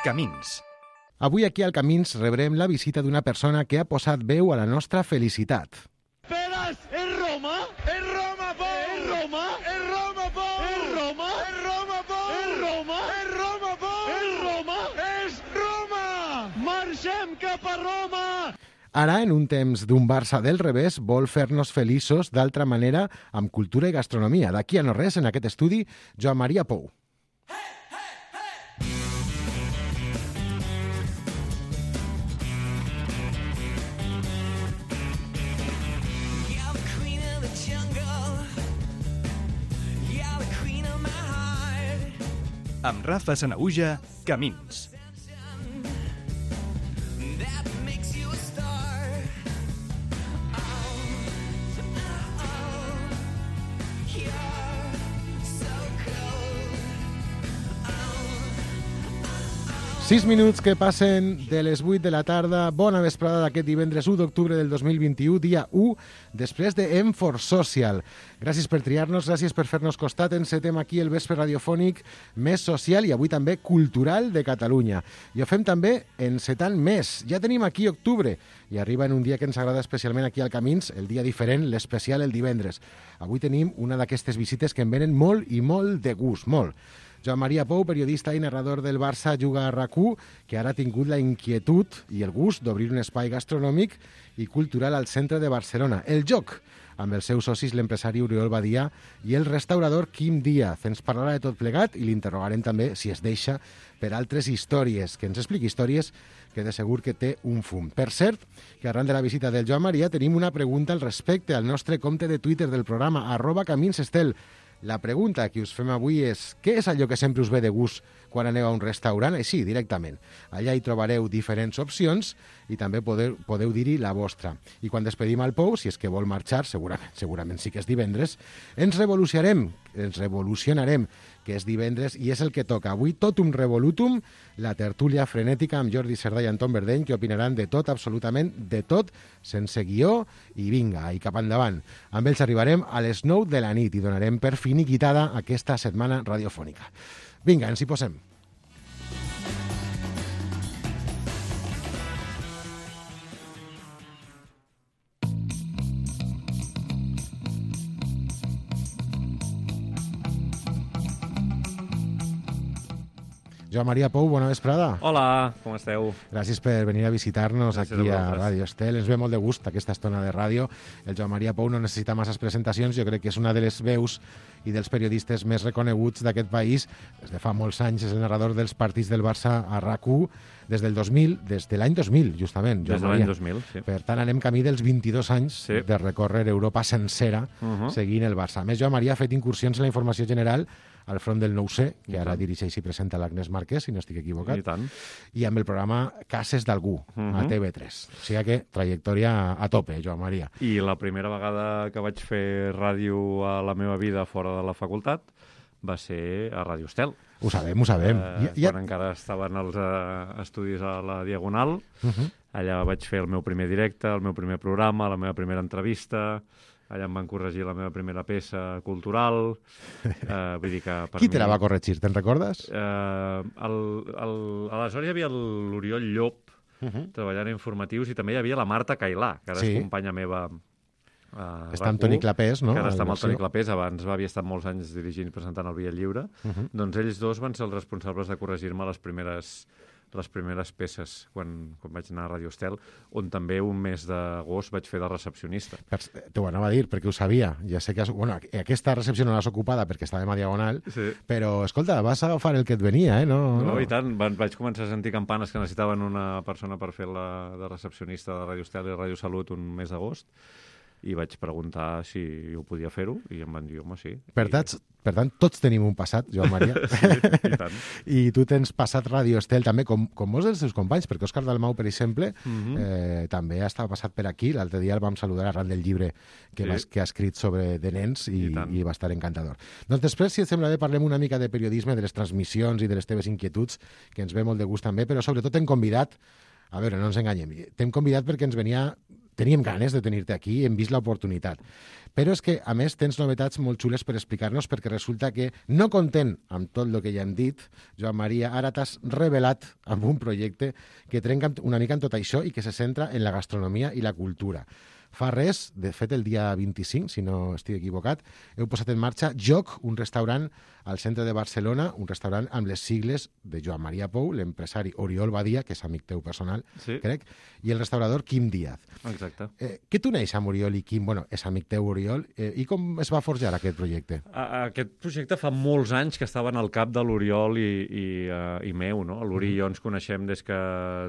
Camins. Avui aquí al Camins rebrem la visita d'una persona que ha posat veu a la nostra felicitat. Peras, ¿es Roma? ¡Es Roma, Pau! ¡Es Roma! ¡Es Roma, Pau! ¡Es Roma! ¡Es Roma, Pau! ¡Es Roma! ¡Es Roma, Pau! ¡Es Roma! ¡Es Roma! Marxem cap a Roma! Ara, en un temps d'un Barça del revés, vol fer-nos feliços d'altra manera amb cultura i gastronomia. D'aquí a no res, en aquest estudi, Joan Maria Pou. Amb Rafa Sanahuja, Camins. Sis minuts que passen de les 8 de la tarda. Bona vesprada d'aquest divendres 1 d'octubre del 2021, dia 1, després de M4 Social. Gràcies per triar-nos, gràcies per fer-nos costat. Encetem aquí el vespre radiofònic més social i avui també cultural de Catalunya. I ho fem també encetant més. Ja tenim aquí octubre i arriba en un dia que ens agrada especialment aquí al Camins, el dia diferent, l'especial el divendres. Avui tenim una d'aquestes visites que em venen molt i molt de gust, molt. Joan Maria Pou, periodista i narrador del Barça Juga a RAC1, que ara ha tingut la inquietud i el gust d'obrir un espai gastronòmic i cultural al centre de Barcelona, El Joc, amb els seus socis l'empresari Oriol Badia i el restaurador Quim Díaz. Ens parlarà de tot plegat i l'interrogarem també, si es deixa, per altres històries, que ens expliqui històries que de segur que té un fum. Per cert, que arran de la visita del Joan Maria tenim una pregunta al respecte al nostre compte de Twitter del programa, @caminsestel. La pregunta que us fem avui és: què és allò que sempre us ve de gust quan aneu a un restaurant? Així, directament. Allà hi trobareu diferents opcions i també podeu dir-hi la vostra. I quan despedim al Pou, si és que vol marxar, segurament sí que és divendres, ens revolucionarem, que és divendres i és el que toca. Avui totum revolutum, la tertúlia frenètica amb Jordi Cerdà i Anton Verdeny, que opinaran de tot, absolutament de tot, sense guió, i vinga, i cap endavant. Amb ells arribarem a les 9 de la nit i donarem per finiquitada aquesta setmana radiofònica. Vinga, ens hi posem. Joan Maria Pou, bona vesprada. Hola, com esteu? Gràcies per venir a visitar-nos aquí a Ràdio Estel. Ens ve molt de gust aquesta estona de ràdio. El Joan Maria Pou no necessita masses presentacions. Jo crec que és una de les veus i dels periodistes més reconeguts d'aquest país. Des de fa molts anys és el narrador dels partits del Barça a RAC1 des del 2000, des de l'any 2000, justament. Des de l'any 2000, sí. Per tant, anem camí dels 22 anys de recórrer Europa sencera seguint el Barça. A més, Joan Maria ha fet incursions en la informació general al front del 9C, que ara dirigeix i presenta l'Agnès Marquès, si no estic equivocat, i amb el programa Cases d'Algú, a TV3. O sigui que trajectòria a tope, Joan Maria. I la primera vegada que vaig fer ràdio a la meva vida fora de la facultat va ser a Ràdio Estel. Ho sabem, ho sabem. Quan encara estaven els estudis a la Diagonal, allà vaig fer el meu primer directe, el meu primer programa, la meva primera entrevista. Allà em van corregir la meva primera peça cultural. Vull dir que per Qui te la va corregir, te'n recordes? Aleshores hi havia l'Oriol Llop treballant a informatius i també hi havia la Marta Cailà, que ara és companya meva a està amb Toni Clapés, no? Que ara està amb el Toni Clapés, abans havia estat molts anys dirigint i presentant el Via Lliure. Doncs ells dos van ser els responsables de corregir-me les primeres peces quan vaig anar a Ràdio Estel, on també un mes d'agost vaig fer de recepcionista. T'ho anava a dir, perquè ho sabia. Ja sé que aquesta recepció no l'has ocupada perquè estàvem a Diagonal, però, escolta, vas agafar el que et venia, eh? No, i tant. Vaig començar a sentir campanes que necessitaven una persona per fer de recepcionista de Ràdio Estel i Ràdio Salut un mes d'agost, i vaig preguntar si ho podia fer-ho, i em van dir, home, sí. Per tant, tots tenim un passat, Joan Maria. Sí, i tant. I tu tens passat Ràdio Estel també, com molts dels teus companys, perquè Òscar Dalmau, per exemple, també estava passat per aquí. L'altre dia el vam saludar arran del llibre que ha escrit sobre de nens i va estar encantador. Doncs després, si et sembla bé, parlem una mica de periodisme, de les transmissions i de les teves inquietuds, que ens ve molt de gust també, però sobretot t'hem convidat, a veure, no ens enganyem, t'hem convidat perquè ens venia teníem ganes de tenir-te aquí, hem vist l'oportunitat. Però és que, a més, tens novetats molt xules per explicar-nos, perquè resulta que, no content amb tot el que ja hem dit, Joan Maria, ara t'has revelat amb un projecte que trenca una mica en tot això i que se centra en la gastronomia i la cultura. Fa res, de fet el dia 25, si no estic equivocat, heu posat en marxa Joc, un restaurant al centre de Barcelona, un restaurant amb les sigles de Joan Maria Pou, l'empresari Oriol Badia, que és amic teu personal, Sí. crec, i el restaurador Quim Díaz. Exacte. Què t'uneix amb Oriol i Quim? Bueno, és amic teu, Oriol. I com es va forjar aquest projecte? Aquest projecte fa molts anys que estava en el cap de l'Oriol i meu, no? L'Ori i jo ens coneixem des que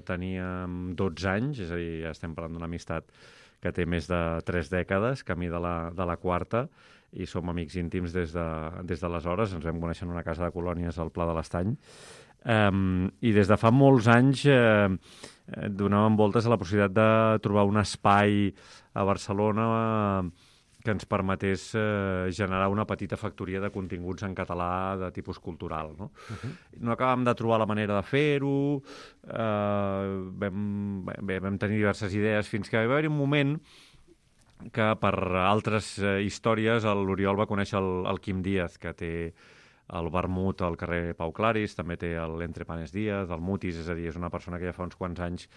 teníem 12 anys, és a dir, ja estem parlant d'una amistat que té més de 3 dècades, camí de la quarta, i som amics íntims des d'aleshores. Ens vam conèixer en una casa de colònies al Pla de l'Estany. I des de fa molts anys donàvem voltes a la possibilitat de trobar un espai a Barcelona que ens permetés generar una petita factoria de continguts en català de tipus cultural. No, no acabàvem de trobar la manera de fer-ho, vam tenir diverses idees, fins que va haver-hi un moment que per altres històries l'Oriol va conèixer el Quim Díaz, que té el Vermut al carrer Pau Claris, també té l'Entre Panes Díaz, el Mutis, és a dir, és una persona que ja fa uns quants anys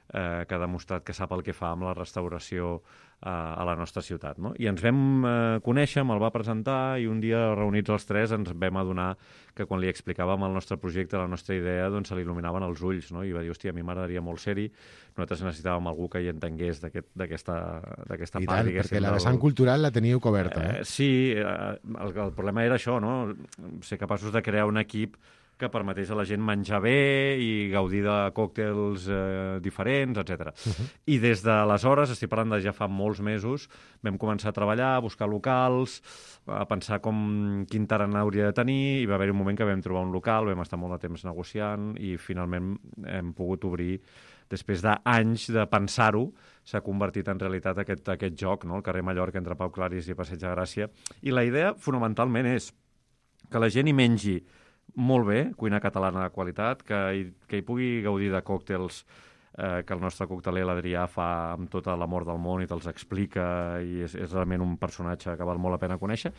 que ha demostrat que sap el que fa amb la restauració a la nostra ciutat. No? I ens vam conèixer, me'l va presentar, i un dia, reunits els tres, ens vam adonar que quan li explicàvem el nostre projecte, la nostra idea, doncs se li il·luminaven els ulls, no? I va dir, hòstia, a mi m'agradaria molt ser-hi, nosaltres necessitàvem algú que hi entengués d'aquesta part, I tant, perquè la vessant cultural la teníeu coberta. Sí, el problema era això, no? Ser capaços de crear un equip que permetés a la gent menjar bé i gaudir de còctels diferents, etc. I des d'aleshores, estic parlant de ja fa molts mesos, vam començar a treballar, a buscar locals, a pensar quin tarannà hauria de tenir, i va haver un moment que vam trobar un local, vam estar molt de temps negociant i finalment hem pogut obrir. Després d'anys de pensar-ho, s'ha convertit en realitat aquest joc, no? El carrer Mallorca entre Pau Claris i Passeig de Gràcia. I la idea, fonamentalment, és que la gent hi mengi molt bé, cuina catalana de qualitat, que hi pugui gaudir de còctels que el nostre cocteler, l'Adrià, fa amb tot l'amor del món i te'ls explica, i és realment un personatge que val molt la pena conèixer,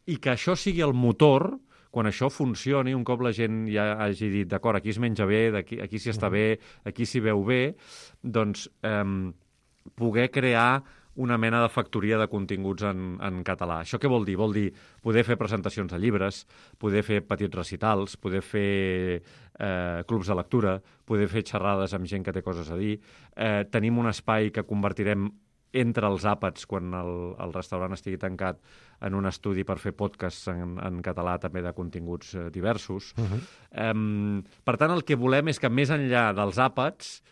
i que això sigui el motor, quan això funcioni, un cop la gent ja hagi dit, d'acord, aquí es menja bé, aquí s'hi està bé, aquí s'hi veu bé, doncs poder crear una mena de factoria de continguts en català. Això què vol dir? Vol dir poder fer presentacions de llibres, poder fer petits recitals, poder fer clubs de lectura, poder fer xerrades amb gent que té coses a dir. Tenim un espai que convertirem entre els àpats, quan el restaurant estigui tancat, en un estudi per fer podcasts en català també de continguts diversos. Per tant, el que volem és que més enllà dels àpats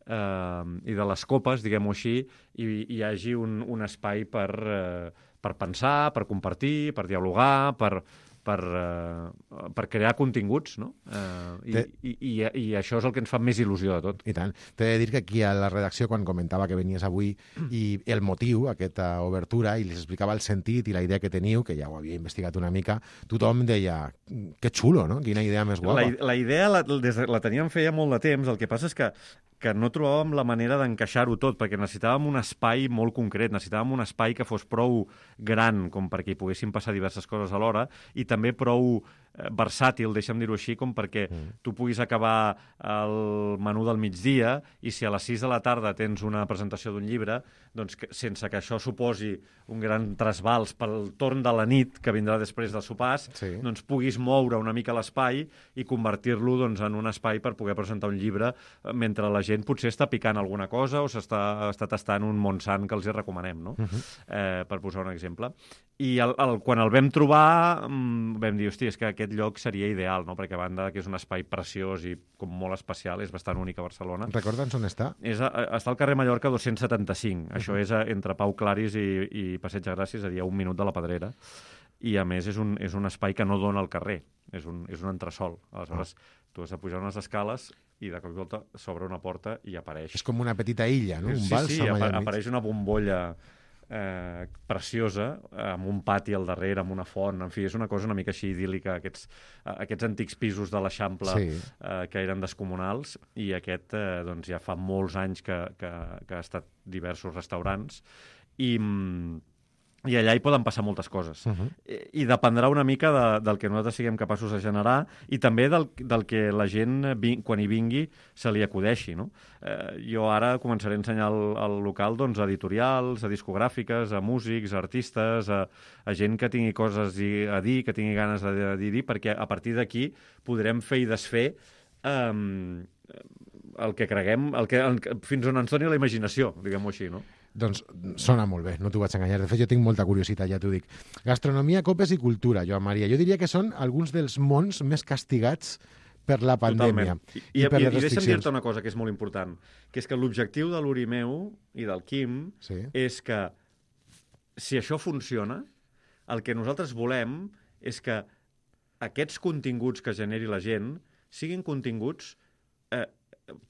i de les copes, diguem-ho així, hi hagi un espai per pensar, per compartir, per dialogar, per crear continguts, no? I això és el que ens fa més il·lusió de tot. I tant. T'he de dir que aquí a la redacció, quan comentava que venies avui, i el motiu, aquesta obertura, i les explicava el sentit i la idea que teniu, que ja ho havia investigat una mica, tothom deia, que xulo, no? Quina idea més guapa. La idea la teníem feia molt de temps, el que passa és que no trobàvem la manera d'encaixar-ho tot, perquè necessitàvem un espai molt concret, necessitàvem un espai que fos prou gran com perquè hi poguessin passar diverses coses alhora, i també prou versàtil, deixa'm dir-ho així, com perquè tu puguis acabar el menú del migdia i si a les 6 de la tarda tens una presentació d'un llibre, doncs sense que això suposi un gran trasbals pel torn de la nit que vindrà després dels sopars, doncs puguis moure una mica l'espai i convertir-lo en un espai per poder presentar un llibre mentre la gent potser està picant alguna cosa o està tastant un Montsant que els hi recomanem, no? Per posar un exemple. I quan el vam trobar vam dir, hosti, és que aquest lloc seria ideal, no? Perquè a banda que és un espai preciós i com molt especial, és bastant únic a Barcelona. Recorda'ns on està? Està al carrer Mallorca 275. Això és entre Pau Claris i Passeig de Gràcia, és a dir, a 1 minut de la Pedrera. I a més és un espai que no dona al carrer, és un entresòl. Aleshores, tu has de pujar unes escales i de cop i volta s'obre una porta i apareix. És com una petita illa, no? Un bàlsam. Sí, apareix una bombolla preciosa, amb un pati al darrere, amb una font, en fi, és una cosa una mica així idíl·lica, aquests antics pisos de l'Eixample que eren descomunals, i aquest doncs ja fa molts anys que ha estat diversos restaurants, i allà hi poden passar moltes coses. I dependrà una mica del que nosaltres siguem capaços de generar, i també del que la gent, quan hi vingui, se li acudeixi, no? Jo ara començaré a ensenyar al local doncs, a editorials, a discogràfiques, a músics, a artistes, a gent que tingui coses a dir, que tingui ganes de dir, perquè a partir d'aquí podrem fer i desfer el que creguem, fins on ens doni la imaginació, diguem-ho així, no? Doncs sona molt bé, no t'ho vaig enganyar. De fet, jo tinc molta curiositat, ja t'ho dic. Gastronomia, copes i cultura, Joan Maria. Jo diria que són alguns dels mons més castigats per la pandèmia. I per les restriccions. I deixa'm dir-te una cosa que és molt important, que és que l'objectiu de l'Urimeu i del Quim és que, si això funciona, el que nosaltres volem és que aquests continguts que generi la gent siguin continguts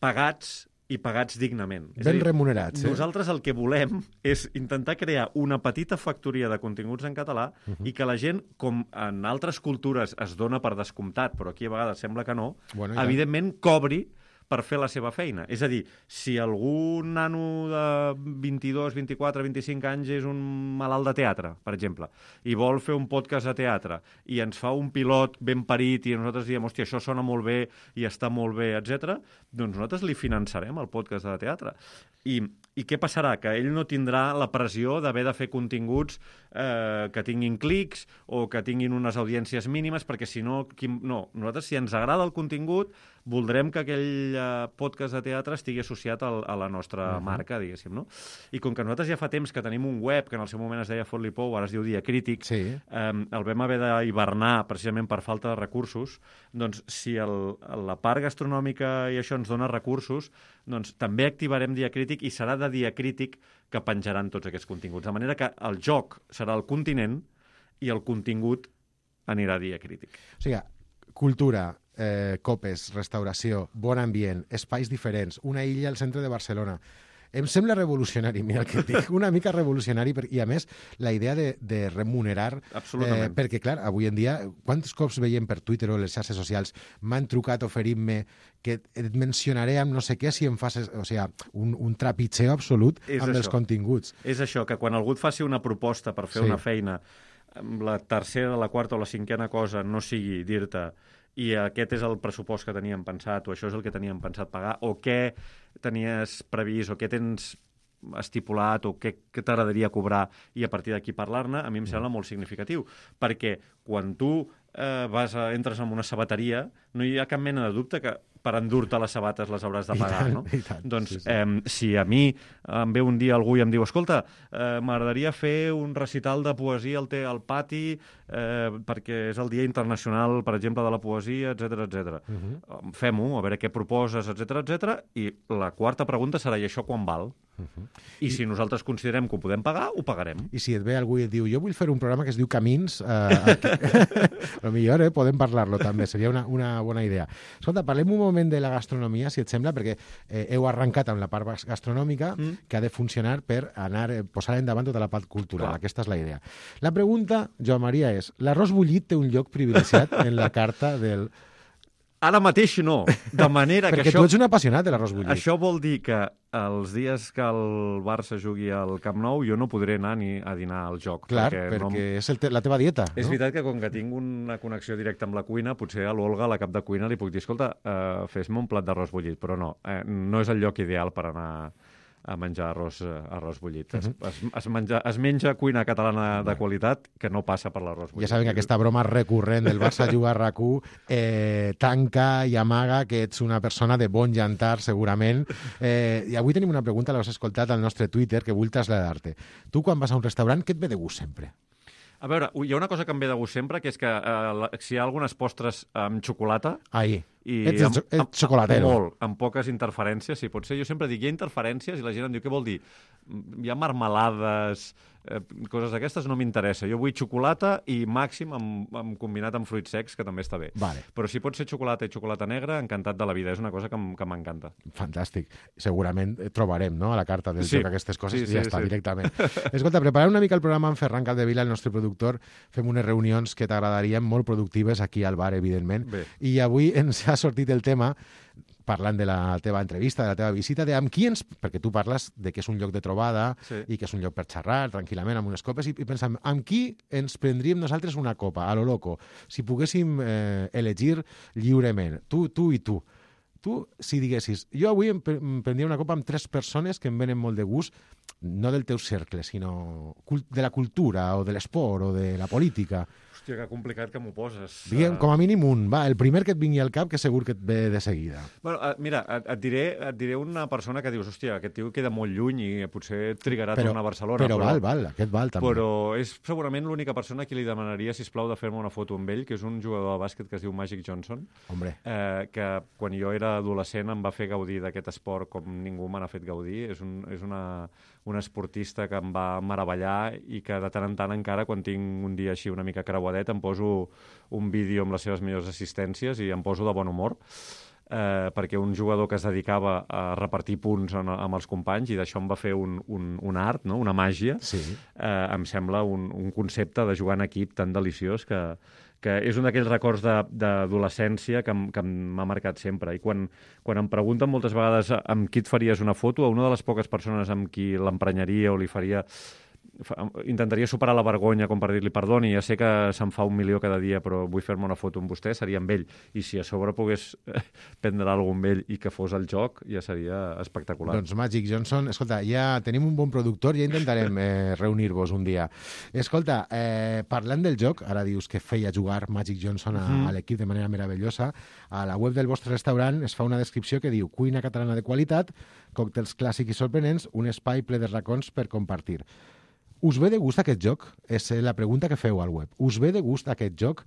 pagats i pagats dignament. Ben remunerats. Nosaltres el que volem és intentar crear una petita factoria de continguts en català i que la gent, com en altres cultures es dona per descomptat, però aquí a vegades sembla que no, evidentment cobri per fer la seva feina. És a dir, si algun nano de 22, 24, 25 anys és un malalt de teatre, per exemple, i vol fer un podcast de teatre, i ens fa un pilot ben parit, i nosaltres diem, hòstia, això sona molt bé i està molt bé, etc., doncs nosaltres li finançarem el podcast de teatre. I què passarà? Que ell no tindrà la pressió d'haver de fer continguts que tinguin clics o que tinguin unes audiències mínimes, perquè si no... No, nosaltres, si ens agrada el contingut, voldrem que aquell podcast de teatre estigui associat a la nostra marca, diguéssim, no? I com que nosaltres ja fa temps que tenim un web, que en el seu moment es deia Fot-li Pou, ara es diu Diacrític, el vam haver d'hibernar precisament per falta de recursos, doncs si la part gastronòmica i això ens dona recursos, doncs també activarem Diacrític i serà de Diacrític que penjaran tots aquests continguts. De manera que el joc serà el continent i el contingut anirà a Diacrític. O sigui, cultura, copes, restauració, bon ambient, espais diferents, una illa al centre de Barcelona. Em sembla revolucionari, mira el que et dic, una mica revolucionari, i a més la idea de remunerar, perquè clar, avui en dia, quants cops veiem per Twitter o les xarxes socials m'han trucat oferint-me que et mencionaré amb no sé què si em fas, o sigui, un trepitjeo absolut amb els continguts. És això, que quan algú et faci una proposta per fer una feina, la tercera, la quarta o la cinquena cosa no sigui dir-te i aquest és el pressupost que teníem pensat, o això és el que teníem pensat pagar, o què tenies previst, o què tens estipulat, o què t'agradaria cobrar, i a partir d'aquí parlar-ne, a mi em sembla molt significatiu. Perquè quan tu entres en una sabateria, no hi ha cap mena de dubte que per endur-te les sabates les hauràs de pagar, no? Doncs si a mi em ve un dia algú i em diu, escolta, m'agradaria fer un recital de poesia al pati perquè és el Dia Internacional, per exemple, de la Poesia, etc. Fem-ho, a veure què proposes, etc. I la quarta pregunta serà, i això quan val? I si nosaltres considerem que ho podem pagar, ho pagarem. I si et ve algú i et diu, jo vull fer un programa que es diu Camins, però millor, podem parlar-lo també, seria una bona idea. Escolta, parlem un moment de la gastronomia, si et sembla, perquè heu arrencat amb la part gastronòmica que ha de funcionar per posar endavant tota la part cultural. Aquesta és la idea. La pregunta, Joan Maria, és, l'arròs bullit té un lloc privilegiat en la carta del... Ara mateix no, de manera que perquè tu ets un apassionat de l'arròs bullit. Això vol dir que els dies que el Barça jugui al Camp Nou jo no podré anar ni a dinar al joc. Clar, perquè és la teva dieta. És veritat que com que tinc una connexió directa amb la cuina, potser a l'Olga, la cap de cuina, li puc dir, escolta, fes-me un plat d'arròs bullit, però no, no és el lloc ideal per anar a menjar arròs bullit. Es menja cuina catalana de qualitat que no passa per l'arròs bullit. Ja saben que aquesta broma recurrent del Barça juga a RAC1 tanca i amaga que ets una persona de bon llantar, segurament. I avui tenim una pregunta, l'has escoltat al nostre Twitter, que vull traslladar-te. Tu, quan vas a un restaurant, què et ve de gust sempre? A veure, hi ha una cosa que em ve de gust sempre, que és que si hi ha algunes postres amb xocolata Ets xocolatero. Molt, amb poques interferències, sí, pot ser. Jo sempre dic, hi ha interferències, i la gent em diu, què vol dir? Hi ha marmelades, coses d'aquestes, no m'interessa. Jo vull xocolata i màxim combinat amb fruits secs, que també està bé. Vale. Però si pot ser xocolata i xocolata negra, encantat de la vida. És una cosa que m'encanta. Fantàstic. Segurament trobarem, no?, a la carta del joc aquestes coses i ja està, sí. directament. Escolta, preparant una mica el programa amb Ferran Capdevila, el nostre productor, fem unes reunions que t'agradarien, molt productives, aquí al bar, evidentment. Bé. I avui ens ha sortit el tema, parlant de la teva entrevista, de la teva visita, de amb qui ens... Perquè tu parles de que és un lloc de trobada i que és un lloc per xerrar tranquil·lament amb unes copes, i pensem, amb qui ens prendríem nosaltres una copa, a lo loco, si poguéssim elegir lliurement, tu i tu. Tu, si diguessis, jo avui em prendria una copa amb 3 persones que em venen molt de gust, no del teu cercle, sinó de la cultura, o de l'esport, o de la política. Hòstia, que complicat que m'ho poses. Diguem, com a mínim un. Va, el primer que et vingui al cap, que segur que et ve de seguida. Bueno, mira, et diré una persona que dius, hòstia, aquest tio queda molt lluny i potser trigarà a tornar a Barcelona. Però val, aquest val també. Però és segurament l'única persona a qui li demanaria, sisplau, de fer-me una foto amb ell, que és un jugador de bàsquet que es diu Magic Johnson. Hombre. Que quan jo era adolescent em va fer gaudir d'aquest esport com ningú me n'ha fet gaudir. És un esportista que em va meravellar i que de tant en tant encara, quan tinc un dia així una mica creuadet, em poso un vídeo amb les seves millors assistències i em poso de bon humor, perquè un jugador que es dedicava a repartir punts amb els companys, i d'això em va fer un art, no? Una màgia, em sembla un concepte de jugar en equip tan deliciós que és un d'aquells records d'adolescència que m'ha marcat sempre. I quan em pregunten moltes vegades amb qui et faries una foto, a una de les poques persones amb qui l'emprenyaria o li faria... Intentaria superar la vergonya com per dir-li perdoni, ja sé que se'n fa 1.000.000 cada dia, però vull fer-me una foto amb vostè, seria amb ell. I si a sobre pogués prendre alguna cosa amb ell i que fos el joc, ja seria espectacular. Doncs Magic Johnson, escolta, ja tenim un bon productor, ja intentarem reunir-vos un dia. Escolta, parlant del joc, ara dius que feia jugar Magic Johnson a l'equip de manera meravellosa, a la web del vostre restaurant es fa una descripció que diu cuina catalana de qualitat, còctels clàssics i sorprenents, un espai ple de racons per compartir. Us ve de gust aquest joc? És la pregunta que feu al web. Us ve de gust aquest joc?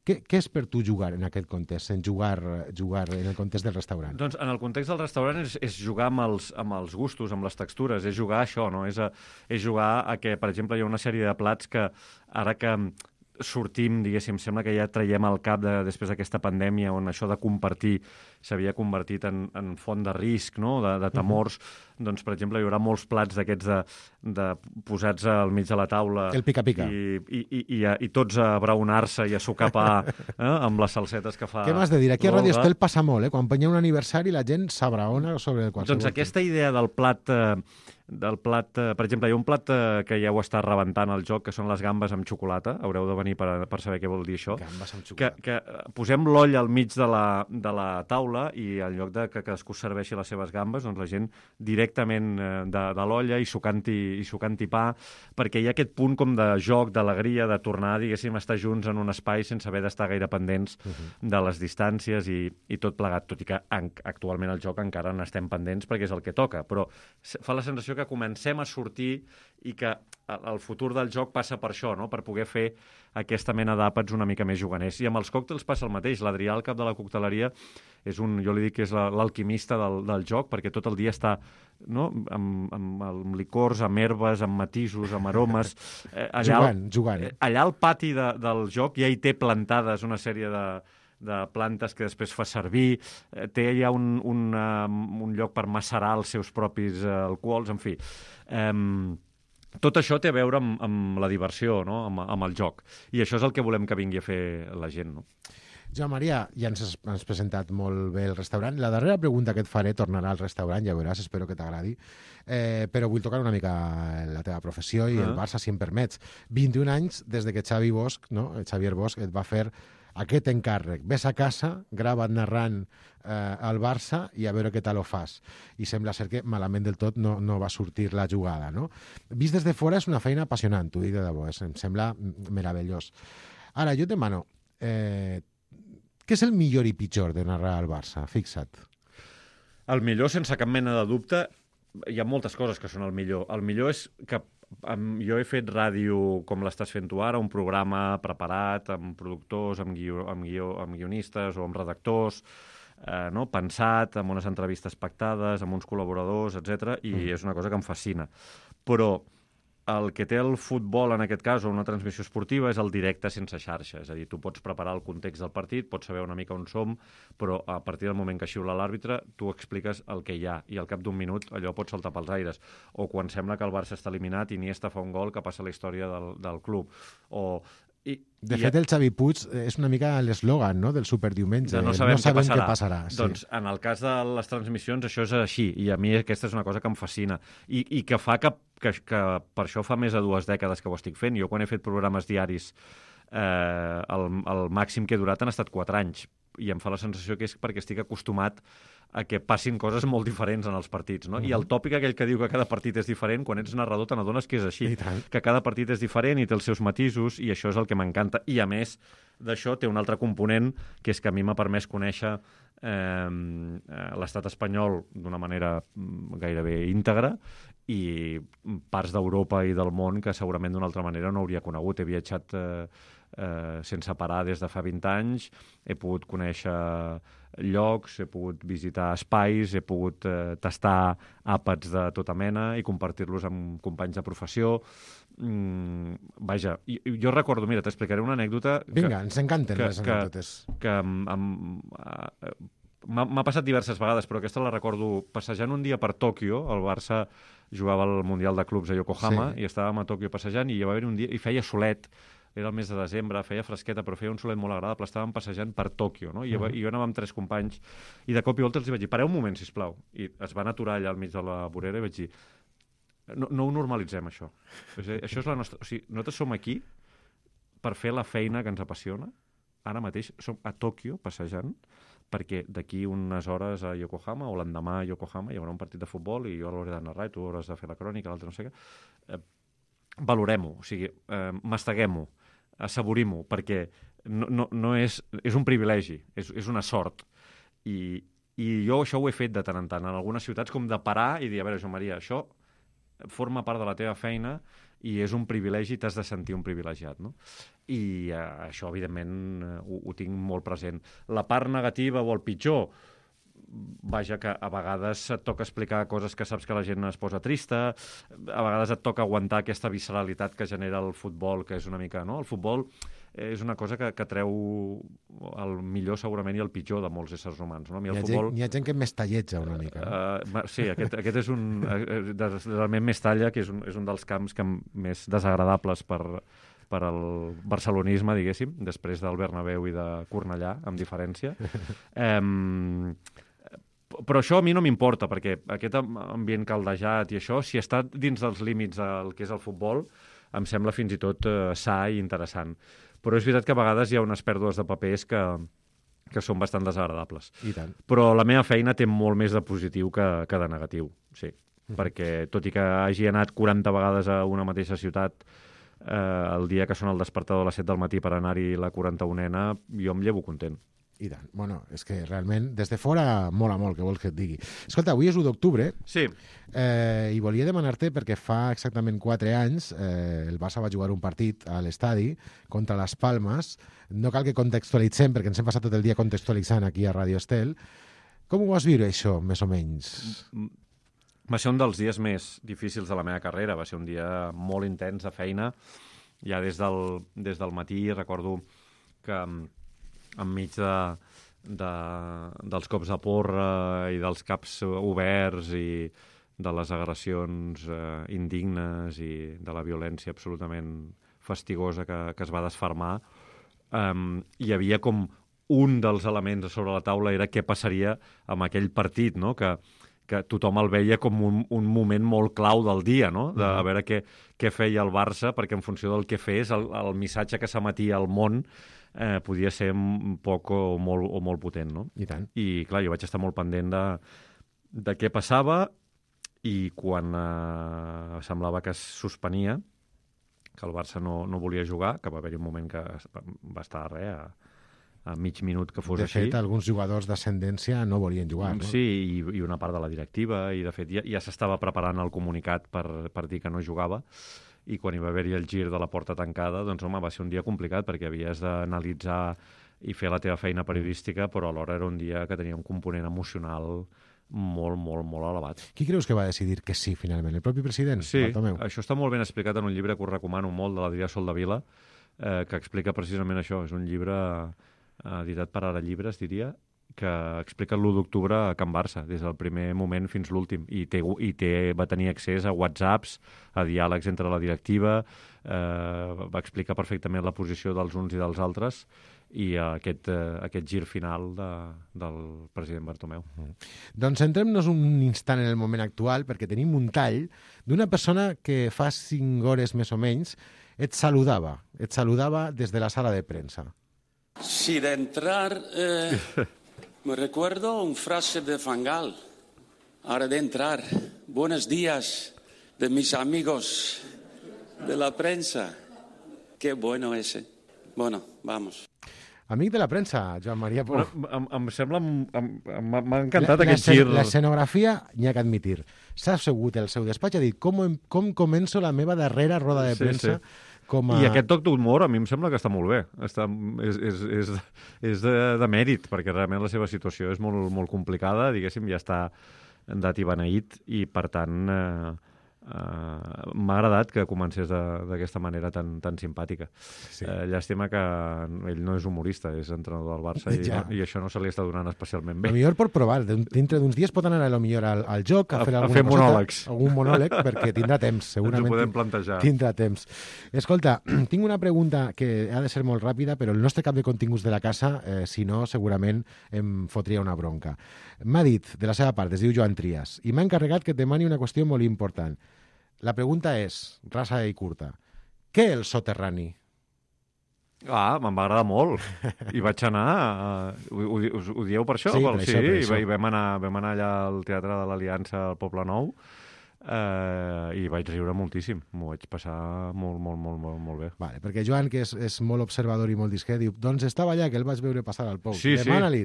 Què és per tu jugar en aquest context, en jugar en el context del restaurant? Doncs en el context del restaurant és jugar amb els gustos, amb les textures, és jugar a això, no? És jugar a que, per exemple, hi ha una sèrie de plats que ara que sortim, diguéssim, sembla que ja traiem al cap després d'aquesta pandèmia on això de compartir s'havia convertit en font de risc, no? De temors. Doncs, per exemple, hi haurà molts plats d'aquests de posats al mig de la taula. El pica-pica. I tots a braonar-se i a sucar pa amb les salsetes que fa. Què m'has de dir? Aquí a Radio Estel passa molt, Quan hi ha un aniversari la gent s'abraona sobre qualsevol. Doncs aquesta idea del plat, per exemple, hi ha un plat que ja ho està rebentant al joc, que són les gambes amb xocolata. Haureu de venir per saber què vol dir això. Gambes amb xocolata. Que posem l'oll al mig de la taula i en lloc de que cadascú serveixi les seves gambes, doncs la gent directament de l'olla i sucant-hi pa, perquè hi ha aquest punt com de joc, d'alegria, de tornar, diguéssim, a estar junts en un espai sense haver d'estar gaire pendents de les distàncies i tot plegat, tot i que actualment al joc encara n'estem pendents perquè és el que toca, però fa la sensació que comencem a sortir i que el futur del joc passa per això, no? Per poder fer aquesta mena d'àpats una mica més juganers. I amb els còctels passa el mateix. L'Adrià, el cap de la cocteleria, jo li dic que és l'alquimista del joc, perquè tot el dia està amb licors, amb herbes, amb matisos, amb aromes. Jugant. Allà al pati del joc ja hi té plantades una sèrie de plantes que després fa servir, té ja un lloc per macerar els seus propis alcohols, en fi. Tot això té a veure amb la diversió, no? Amb el joc. I això és el que volem que vingui a fer la gent, no? Joan Maria, ja ens has presentat molt bé el restaurant. La darrera pregunta que et faré tornarà al restaurant, ja veuràs, espero que t'agradi. Però vull tocar una mica la teva professió i el Barça, si em permets. 21 anys des de que Xavier Bosch et va fer aquest encàrrec. Ves a casa, grava't narrant al Barça i a veure què tal ho fas. I sembla ser que malament del tot no va sortir la jugada, no? Vist des de fora és una feina apassionant, t'ho dic de debò, em sembla meravellós. Ara, jo et demano, què és el millor i pitjor de narrar al Barça? Fixa't. El millor, sense cap mena de dubte, hi ha moltes coses que són el millor. El millor és que jo he fet ràdio com l'estàs fent tu ara, un programa preparat, amb productors, amb guionistes o amb redactors, no? Pensat, amb unes entrevistes pactades, amb uns col·laboradors, etc. I és una cosa que em fascina. Però el que té el futbol, en aquest cas, o una transmissió esportiva, és el directe sense xarxa. És a dir, tu pots preparar el context del partit, pots saber una mica on som, però a partir del moment que xiula l'àrbitre, tu expliques el que hi ha, i al cap d'un minut allò pot saltar pels aires. O quan sembla que el Barça està eliminat, Iniesta fa un gol que passa a la història del club. De fet, el Xavi Puig és una mica l'eslògan, no?, del superdiumenge. No sabem què passarà. Sí. Doncs en el cas de les transmissions això és així, i a mi aquesta és una cosa que em fascina i que fa que per això fa més de 2 dècades que ho estic fent. Jo quan he fet programes diaris el màxim que he durat han estat 4 anys, i em fa la sensació que és perquè estic acostumat a que passin coses molt diferents en els partits, no? I el tòpic aquell que diu que cada partit és diferent, quan ets narrador te n'adones que és així, que cada partit és diferent i té els seus matisos, i això és el que m'encanta. I a més d'això té un altre component, que és que a mi m'ha permès conèixer l'estat espanyol d'una manera gairebé íntegra, i parts d'Europa i del món que segurament d'una altra manera no hauria conegut. He viatjat sense parar des de fa 20 anys, he pogut conèixer llocs, he pogut visitar espais, he pogut tastar àpats de tota mena i compartir-los amb companys de professió. Vaja, jo recordo, mira, t'explicaré una anècdota... Vinga, ens encanten les anècdotes. Que m'ha passat diverses vegades, però aquesta la recordo passejant un dia per Tòquio. El Barça jugava al Mundial de Clubs a Yokohama, i estàvem a Tòquio passejant, i hi va haver un dia, i feia solet, era el mes de desembre, feia fresqueta, però feia un solet molt agradable, estàvem passejant per Tòquio, no? I jo anava amb 3 companys, i de cop i volta els vaig dir, pareu un moment, sisplau. I es van aturar allà al mig de la vorera i vaig dir, no ho normalitzem, això. Això és la nostra... O sigui, nosaltres som aquí per fer la feina que ens apassiona. Ara mateix som a Tòquio passejant, perquè d'aquí unes hores a Yokohama, o l'endemà a Yokohama, hi haurà un partit de futbol i jo l'hauré de narrar i tu hauràs de fer la crònica, l'altre no sé què. Valorem-ho, o sigui, masteguem-ho, assaborim-ho, perquè no és un privilegi, és una sort. I jo això ho he fet de tant en tant, en algunes ciutats, com de parar i dir, a veure, Joan Maria, això forma part de la teva feina i és un privilegi, t'has de sentir un privilegiat, no? I això, evidentment, ho tinc molt present. La part negativa o el pitjor, vaja, que a vegades et toca explicar coses que saps que la gent es posa trista, a vegades et toca aguantar aquesta visceralitat que genera el futbol, que és una mica, no? El futbol és una cosa que treu el millor segurament i el pitjor de molts éssers humans, no? Hi ha gent que m'estalletja una mica. Sí, aquest és un... realment Mestalla, que és un dels camps més desagradables per al barcelonisme, diguéssim, després del Bernabéu i de Cornellà, amb diferència. Però això a mi no m'importa, perquè aquest ambient caldejat i això, si està dins dels límits del que és el futbol, em sembla fins i tot sa i interessant. Però és veritat que a vegades hi ha unes pèrdues de papers que són bastant desagradables. I tant. Però la meva feina té molt més de positiu que de negatiu, sí. Perquè tot i que hagi anat 40 vegades a una mateixa ciutat, el dia que sona el despertador a les 7 del matí per anar-hi la 41ena, jo em llevo content. I tant. Bueno, és que realment, des de fora, mola molt, que vols que et digui. Escolta, avui és 1 d'octubre. Sí. I volia demanar-te, perquè fa exactament 4 anys el Barça va jugar un partit a l'estadi contra les Palmes. No cal que contextualitzem, perquè ens hem passat tot el dia contextualitzant aquí a Radio Estel. Com ho vas viure, això, més o menys? Va ser un dels dies més difícils de la meva carrera. Va ser un dia molt intens de feina. Ja des del matí recordo que enmig dels cops de porra i dels caps oberts i de les agressions indignes i de la violència absolutament fastigosa que es va desfermar, hi havia com un dels elements sobre la taula era què passaria amb aquell partit, no? Que tothom el veia com un moment molt clau del dia, no? De a veure què feia el Barça, perquè en funció del que fes, el missatge que s'emetia al món podia ser un poc o molt potent, no? I tant. I, clar, jo vaig estar molt pendent de què passava i quan semblava que es suspenia, que el Barça no volia jugar, que va haver-hi un moment que va estar a mig minut que fos així. De fet, alguns jugadors d'ascendència no volien jugar, no? Sí, i una part de la directiva, i de fet ja s'estava preparant el comunicat per dir que no jugava, i quan hi va haver-hi el gir de la porta tancada, doncs home, va ser un dia complicat, perquè havies d'analitzar i fer la teva feina periodística, però alhora era un dia que tenia un component emocional molt, molt, molt elevat. Qui creus que va decidir que sí, finalment? El propi president? Sí, Bartomeu? això està molt ben explicat en un llibre que us recomano molt, de l'Adrià Soldevila, que explica precisament això. És un llibre editat per Ara Llibres, diria, que explica l'1 d'octubre a Can Barça, des del primer moment fins l'últim. Va tenir accés a WhatsApps, a diàlegs entre la directiva, va explicar perfectament la posició dels uns i dels altres, i aquest gir final del president Bartomeu. Doncs centrem-nos un instant en el moment actual, perquè tenim un tall d'una persona que fa 5 hores més o menys et saludava des de la sala de premsa. Sí, de entrar, me recuerdo un frase de Fangal, ahora de entrar, buenos días de mis amigos de la prensa. Qué bueno ese. Bueno, vamos. Amic de la premsa, Joan Maria Pou. Em sembla... M'ha encantat aquest gir. L'escenografia, n'hi ha que admitir. S'ha assegut el seu despatx, ha dit com començo la meva darrera roda de premsa. I aquest toc d'humor a mi em sembla que està molt bé. És de mèrit, perquè realment la seva situació és molt, molt complicada, diguéssim, ja està dat i beneït, i per tant m'ha agradat que comencés d'aquesta manera tan simpàtica. Sí. Llàstima que ell no és humorista, és entrenador del Barça, i això no se li està donant especialment bé. A millor pot provar, dintre d'uns dies pot anar a lo millor al joc, a fer monòlegs. Algun monòleg, perquè tindrà temps, segurament. Ens ho podem plantejar. Tindrà temps. Escolta, tinc una pregunta que ha de ser molt ràpida, però el nostre cap de continguts de la casa, si no, segurament em fotria una bronca. M'ha dit, de la seva part, es diu Joan Trias, i m'ha encarregat que et demani una qüestió molt important. La pregunta és, rasa i curta, què el soterrani? Me'n va agradar molt. I vaig anar... Ho dieu per això? Sí, per això. I vam anar allà al Teatre de l'Aliança al Poble Nou, i vaig riure moltíssim. M'ho vaig passar molt bé. Vale, perquè Joan, que és molt observador i molt discret, diu, doncs estava allà, que el vaig veure passar al Pou. Sí, demana-li.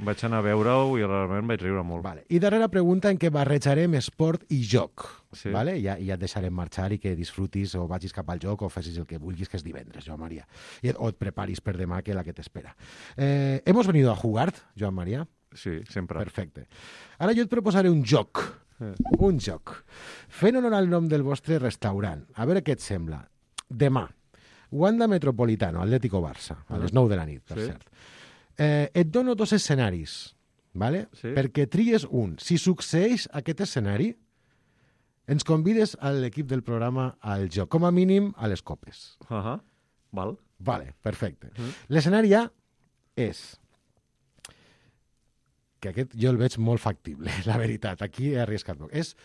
Vaig anar a veure-ho i realment vaig riure molt. Vale. I darrera pregunta en què barrejarem esport i joc. Sí. Vale? Ja et deixarem marxar i que disfrutis o vagis cap al joc o facis el que vulguis, que és divendres, Joan Maria. O et preparis per demà, que és la que t'espera. ¿Hemos venido a jugar, Joan Maria? Sí, sempre. Perfecte. Ara jo et proposaré un joc. Un joc. Fent honor al nom del vostre restaurant. A veure què et sembla. Demà, Wanda Metropolitano, Atlético Barça, a les 9 de la nit, per cert. Et dono 2 escenaris, ¿vale? Sí. Perquè tries un. Si succeeix aquest escenari, ens convides a l'equip del programa al joc, com a mínim a les copes. Val. Vale, perfecte. L'escenari A és... que aquest jo el veig molt factible, la veritat. Aquí he arriscat poc. És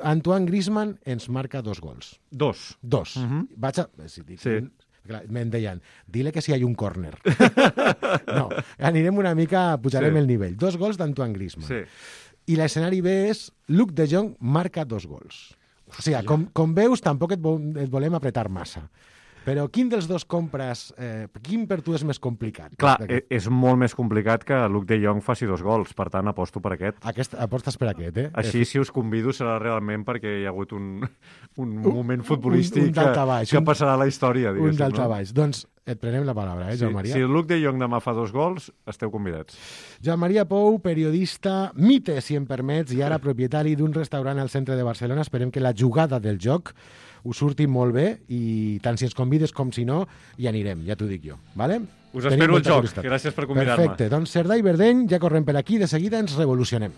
Antoine Griezmann ens marca 2 gols. 2. Vaig a... Me'n deien, dile que si hi ha un córner. No, anirem una mica, pujarem el nivell. 2 gols d'Antoine Griezmann. Sí. I l'escenari B és Luc de Jong marca 2 gols. O sigui, com veus, tampoc et volem apretar massa. Però quin dels dos compres... quin per tu és més complicat? Clar, és molt més complicat que Luc de Jong faci 2 gols, per tant aposto per aquest. Apostes per aquest, eh? Així, si us convido, serà realment perquè hi ha hagut un moment futbolístic que passarà a la història, diguéssim. Un daltabaix. Doncs et prenem la paraula, Joan Maria? Si Luc de Jong demà fa 2 gols, esteu convidats. Joan Maria Pou, periodista, mite, si em permets, i ara propietari d'un restaurant al centre de Barcelona. Esperem que la jugada del joc us surti molt bé i tant si ens convides com si no, hi anirem, ja t'ho dic jo. Vale? Us espero al joc. Gràcies per convidar-me. Perfecte. Doncs Cerdà i Verdeny, ja correm per aquí, de seguida ens revolucionem.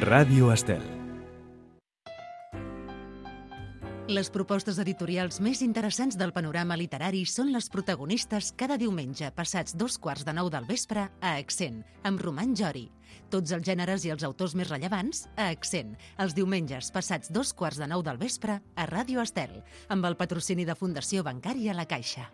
Ràdio Estel. Les propostes editorials més interessants del panorama literari són les protagonistes cada diumenge passats 9:15 del vespre a Accent, amb Roman Jori. Tots els gèneres i els autors més rellevants a Accent, els diumenges passats 9:15 del vespre a Ràdio Estel, amb el patrocini de Fundació Bancària La Caixa.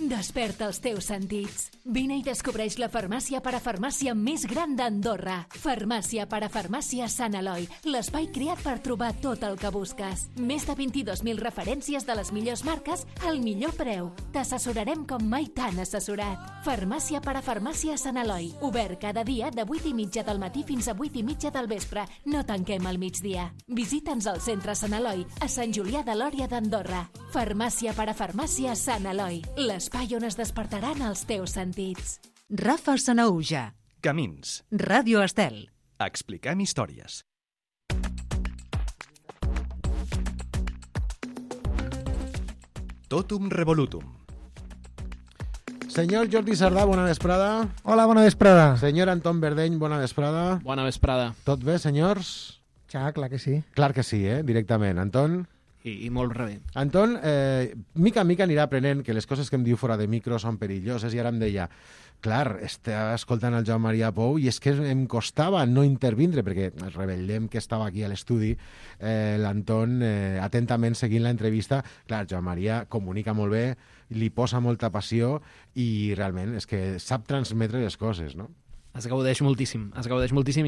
Desperta els teus sentits. Vine i descobreix la farmàcia parafarmàcia més gran d'Andorra. Farmàcia parafarmàcia Sant Eloi, l'espai creat per trobar tot el que busques. Més de 22.000 referències de les millors marques al millor preu. T'assessorarem com mai t'han assessorat. Farmàcia parafarmàcia Sant Eloi, obert cada dia de 8:30 del matí fins a 8:30 del vespre. No tanquem al migdia. Visita'ns al centre Sant Eloi, a Sant Julià de Lòria d'Andorra. Farmàcia parafarmàcia Sant Eloi, l'espai on es despertaran els teus sentits. Rafa Sanaúja. Camins. Ràdio Estel. Expliquem històries. Totum revolutum. Senyor Jordi Sardà, bona vesprada. Hola, bona vesprada. Senyor Anton Verdeny, bona vesprada. Bona vesprada. Tot bé, senyors? Ja, clar que sí. Clar que sí, directament. Anton? I molt bé. Anton, mica en mica anirà aprenent que les coses que em diu fora de micro són perilloses i ara em deia, clar, estava escoltant el Joan Maria Pou i és que em costava no intervindre perquè revelem que estava aquí a l'estudi l'Anton atentament seguint l'entrevista. Clar, Joan Maria comunica molt bé, li posa molta passió i realment és que sap transmetre les coses, no? Es gaudeix moltíssim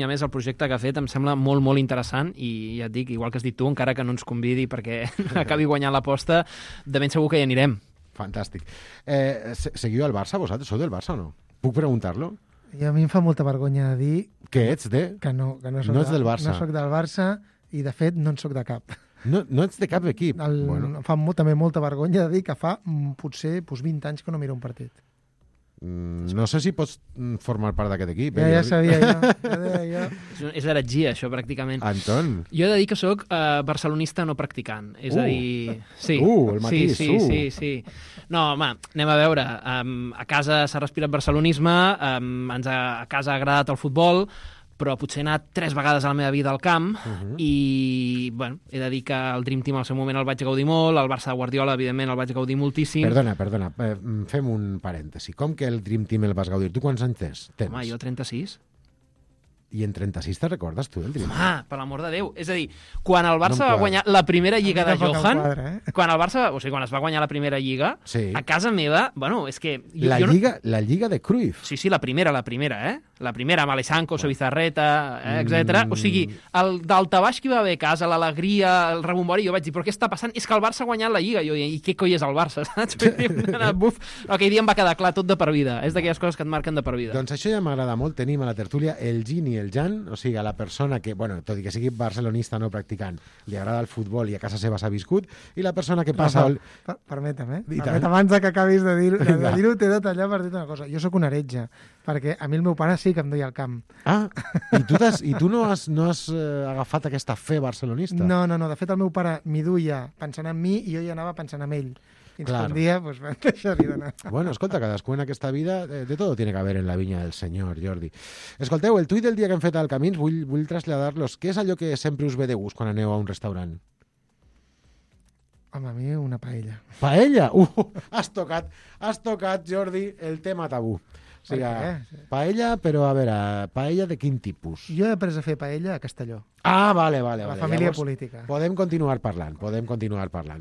i a més el projecte que ha fet em sembla molt, molt interessant i ja et dic, igual que has dit tu, encara que no ens convidi perquè acabi guanyant l'aposta, de ben segur que hi anirem. Fantàstic. Seguiu al Barça, vosaltres? Sou del Barça o no? Puc preguntar-lo? I a mi em fa molta vergonya de dir... Que ets de? Que no soc no ets del Barça. No soc del Barça i, de fet, no en soc de cap. No ets de cap equip? Em fa també molta vergonya de dir que fa potser 20 anys que no miro un partit. No sé si pots formar part d'aquest equip. Ja sabia jo. És heretgia, això, pràcticament. Anton. Jo he de dir que sóc barcelonista no practicant. És a dir... Sí. El matís. Sí. No, home, anem a veure. A casa s'ha respirat barcelonisme, a casa ha agradat el futbol, però potser he anat 3 vegades a la meva vida al camp i, bueno, he de dir que el Dream Team al seu moment el vaig gaudir molt, el Barça de Guardiola, evidentment, el vaig gaudir moltíssim. Perdona, fem un parèntesi. Com que el Dream Team el vas gaudir? Tu quants anys tens? Home, jo 36. I en 36 te recordes tu del Dream Team? Home, per l'amor de Déu. És a dir, quan el Barça va guanyar la primera lliga de Johan, quan el Barça, o sigui, quan es va guanyar la primera lliga, a casa meva, bueno, és que... La lliga de Cruyff. Sí, la primera, La primera, amb Alessanco, Sobizarreta, etc. O sigui, el daltabaix que hi va haver a casa, l'alegria, el rebombori, jo vaig dir, però què està passant? És que el Barça ha guanyat la Lliga. Jo, i què coi és el Barça, saps? Buf, aquell dia em va quedar clar tot de per vida. És d'aquelles coses que et marquen de per vida. Doncs això ja m'agrada molt. Tenim a la tertúlia el Gin i el Jan, o sigui, a la persona que, bueno, tot i que sigui barcelonista no practicant, li agrada el futbol i a casa seva s'ha viscut, i la persona que passa... Permetem, abans que acabis de dir-ho, t'he de tallar per dir una cosa. Jo sóc un heretge, perquè a mi el meu pare sí que em duia al camp. Ah, i tu no has agafat aquesta fe barcelonista? No, de fet el meu pare m'hi duia pensant en mi i jo hi anava pensant en ell. Fins que un dia pues, vam deixar-hi d'anar. Bueno, escolta, cadascú en aquesta vida de todo tiene que haber en la vinya del senyor, Jordi. Escolteu, el tuit del dia que hem fet al Camins vull traslladar-los. Què és allò que sempre us ve de gust quan aneu a un restaurant? Home, a mi una paella. Paella? Has tocat, Jordi, el tema tabú. O sigui, paella, però a veure, paella de quin tipus? Jo he après a fer paella a Castelló. Ah, vale. La família llavors, política. Podem continuar parlant.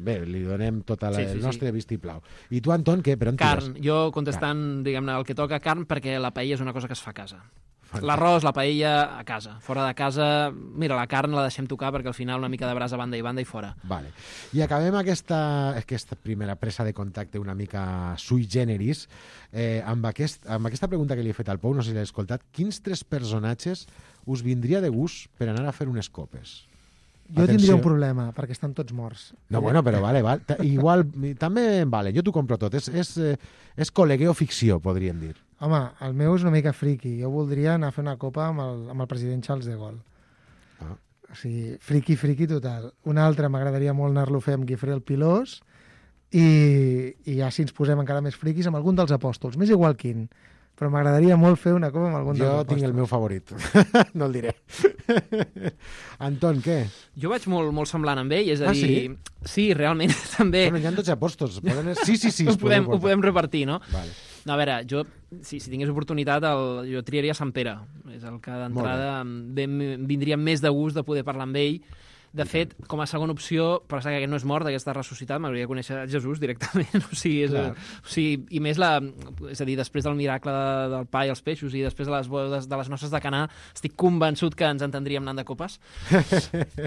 Bé, li donem tot el nostre vistiplau. I tu, Anton, què? Per on carn. Jo contestant, diguem-ne, el que toca carn, perquè la paella és una cosa que es fa a casa. L'arròs, la paella, a casa. Fora de casa, mira, la carn la deixem tocar perquè al final una mica de brasa a banda i banda i fora. Vale. I acabem aquesta primera presa de contacte una mica sui generis amb aquesta pregunta que li he fet al Pou, no sé si l'he escoltat. Quins 3 personatges us vindria de gust per anar a fer unes copes? Jo tindria un problema, perquè estan tots morts. No, bueno, però vale. Igual, també vale, jo t'ho compro tot. És col·legueo ficció, podríem dir. Home, el meu és una mica friqui. Jo voldria anar a fer una copa amb el president Charles de Gaulle. O sigui, friqui total. Un altre m'agradaria molt anar-lo a fer amb Guifré el Pilós i ja si ens posem encara més friquis amb algun dels apòstols. M'és igual quin. Però m'agradaria molt fer una copa amb algun dels apòstols. Jo tinc el meu favorit. No el diré. Anton, què? Jo vaig molt semblant amb ell, és a dir... Sí, realment, també. Bueno, hi ha 12 apòstols. Sí. Ho podem repartir, no? Vale. No, a veure, jo, si tingués oportunitat, jo triaria Sant Pere. És el que d'entrada em vindria més de gust de poder parlar amb ell, De fet, com a segona opció, per saber que aquest no és mort, que està ressuscitat, m'hauria de conèixer Jesús directament. I més és a dir, després del miracle del pa i els peixos i després de les bodes de les noces de Canà, estic convençut que ens entendríem anant de copes.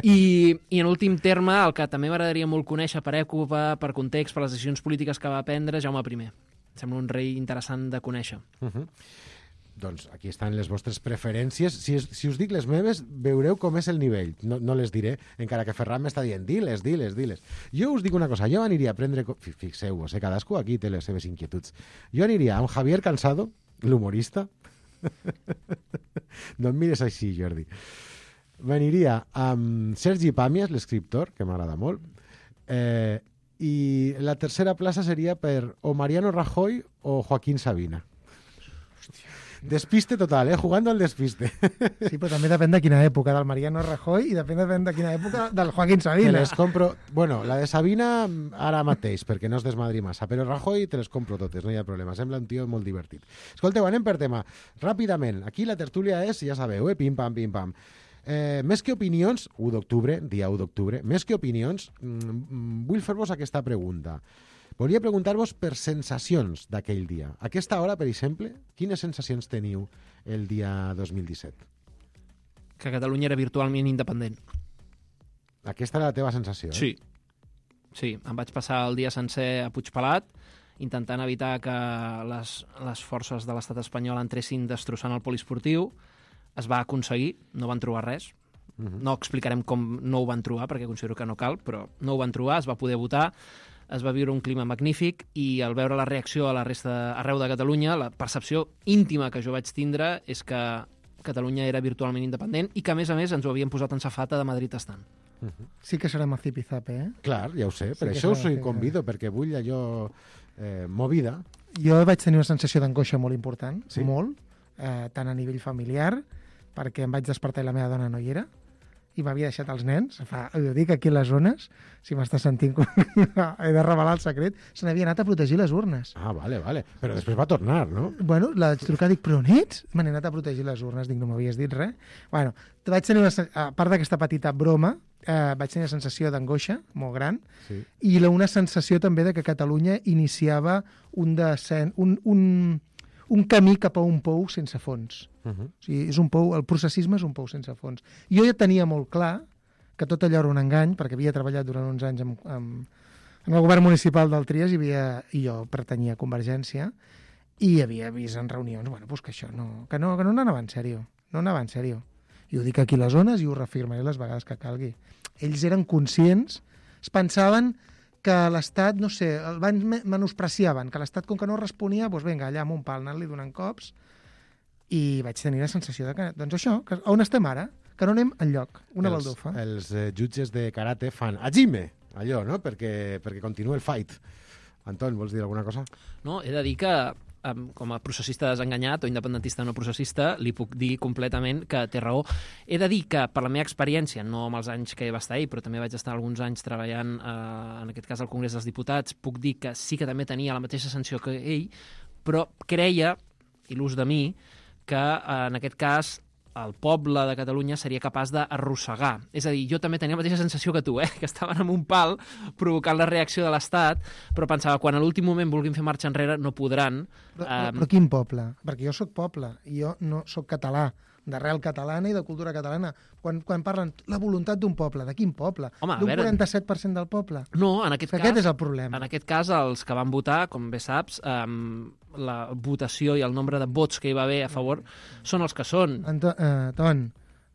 I en últim terme, el que també m'agradaria molt conèixer per època, per context, per les decisions polítiques que va prendre, Jaume I. Sembla un rei interessant de conèixer. Doncs aquí estan les vostres preferències. Si us dic les meves, veureu com és el nivell. No les diré, encara que Ferran m'està dient diles. Jo us dic una cosa, jo aniria a prendre... Fixeu-vos, cadascú aquí té les seves inquietuds. Jo aniria amb Javier Cansado, l'humorista. No em mires així, Jordi. M'aniria amb Sergi Pàmies, l'escriptor, que m'agrada molt, i la tercera plaça seria per o Mariano Rajoy o Joaquín Sabina. Despiste total, jugando al despiste. Sí, però també depèn de quina època, del Mariano Rajoy, i depèn de quina època del Joaquín Sabina. Te les compro... Bueno, la de Sabina ara mateix, perquè no es desmadri massa, però Rajoy te les compro totes, no hi ha problema. Sembla un tio molt divertit. Escolteu, anem per tema. Ràpidament, aquí la tertúlia és, ja sabeu, pim-pam, pim-pam. Més que opinions, 1 d'octubre, dia 1 d'octubre, més que opinions, vull fer-vos aquesta pregunta. Volia preguntar-vos per sensacions d'aquell dia. A aquesta hora, per exemple, quines sensacions teniu el dia 2017? Que Catalunya era virtualment independent. Aquesta era la teva sensació, Sí. Sí, em vaig passar el dia sencer a Puigpelat intentant evitar que les forces de l'estat espanyol entressin destrossant el poliesportiu. Es va aconseguir, no van trobar res. No explicarem com no ho van trobar, perquè considero que no cal, però no ho van trobar, es va poder votar, es va viure un clima magnífic i al veure la reacció a la resta arreu de Catalunya, la percepció íntima que jo vaig tindre és que Catalunya era virtualment independent i que, a més, ens ho havien posat en safata de Madrid estant. Sí que serem a zipizape, Clar, ja ho sé, per això us convido, perquè vull allò movida. Jo vaig tenir una sensació d'angoixa molt important, molt, tant a nivell familiar, perquè em vaig despertar i la meva dona no hi era, i m'havia deixat els nens, ho dic aquí a les zones, si m'estàs sentint, he de revelar el secret, se n'havia anat a protegir les urnes. Ah, vale, però després va tornar, no? Bueno, la vaig trucar, dic, però on ets? Me n'he anat a protegir les urnes, dic, no m'havies dit res. Bueno, vaig tenir a part d'aquesta petita broma, vaig tenir una sensació d'angoixa molt gran, i una sensació també de que Catalunya iniciava un camí cap a un pou sense fons. O sigui, el processisme és un pou sense fons. Jo ja tenia molt clar que tot allò era un engany, perquè havia treballat durant uns anys en el govern municipal del Trias i jo pertanyia a Convergència i havia vist en reunions que això que no anava en sèrio. No anava en sèrio. I ho dic aquí a les zones i ho reafirmaré les vegades que calgui. Ells eren conscients, es pensaven que l'Estat, no sé, el van menospreciaven, que l'Estat, com que no responia, doncs vinga, allà amb un pal, anant-li donant cops, i vaig tenir la sensació de que, doncs això, que on estem ara? Que no anem enlloc, una baldufa. Els jutges de karate fan Hajime, allò, no? Perquè continua el fight. Anton, vols dir alguna cosa? No, he de dir que com a processista desenganyat o independentista no processista, li puc dir completament que té raó. He de dir que, per la meva experiència, no amb els anys que va estar ell, però també vaig estar alguns anys treballant, en aquest cas al Congrés dels Diputats, puc dir que sí que també tenia la mateixa sensació que ell, però creia, il·lús de mi, que en aquest cas el poble de Catalunya seria capaç d'arrossegar. És a dir, jo també tenia la mateixa sensació que tu, que estaven amb un pal provocant la reacció de l'Estat, però pensava, quan a l'últim moment vulguin fer marxa enrere, no podran. Però quin poble? Perquè jo sóc poble, i jo no sóc català, d'arrel catalana i de cultura catalana. Quan parlen la voluntat d'un poble, de quin poble? Home, d'un 47% del poble? No, en aquest cas... Aquest és el problema. En aquest cas, els que van votar, com bé saps, la votació i el nombre de vots que hi va haver a favor són els que són. Anton,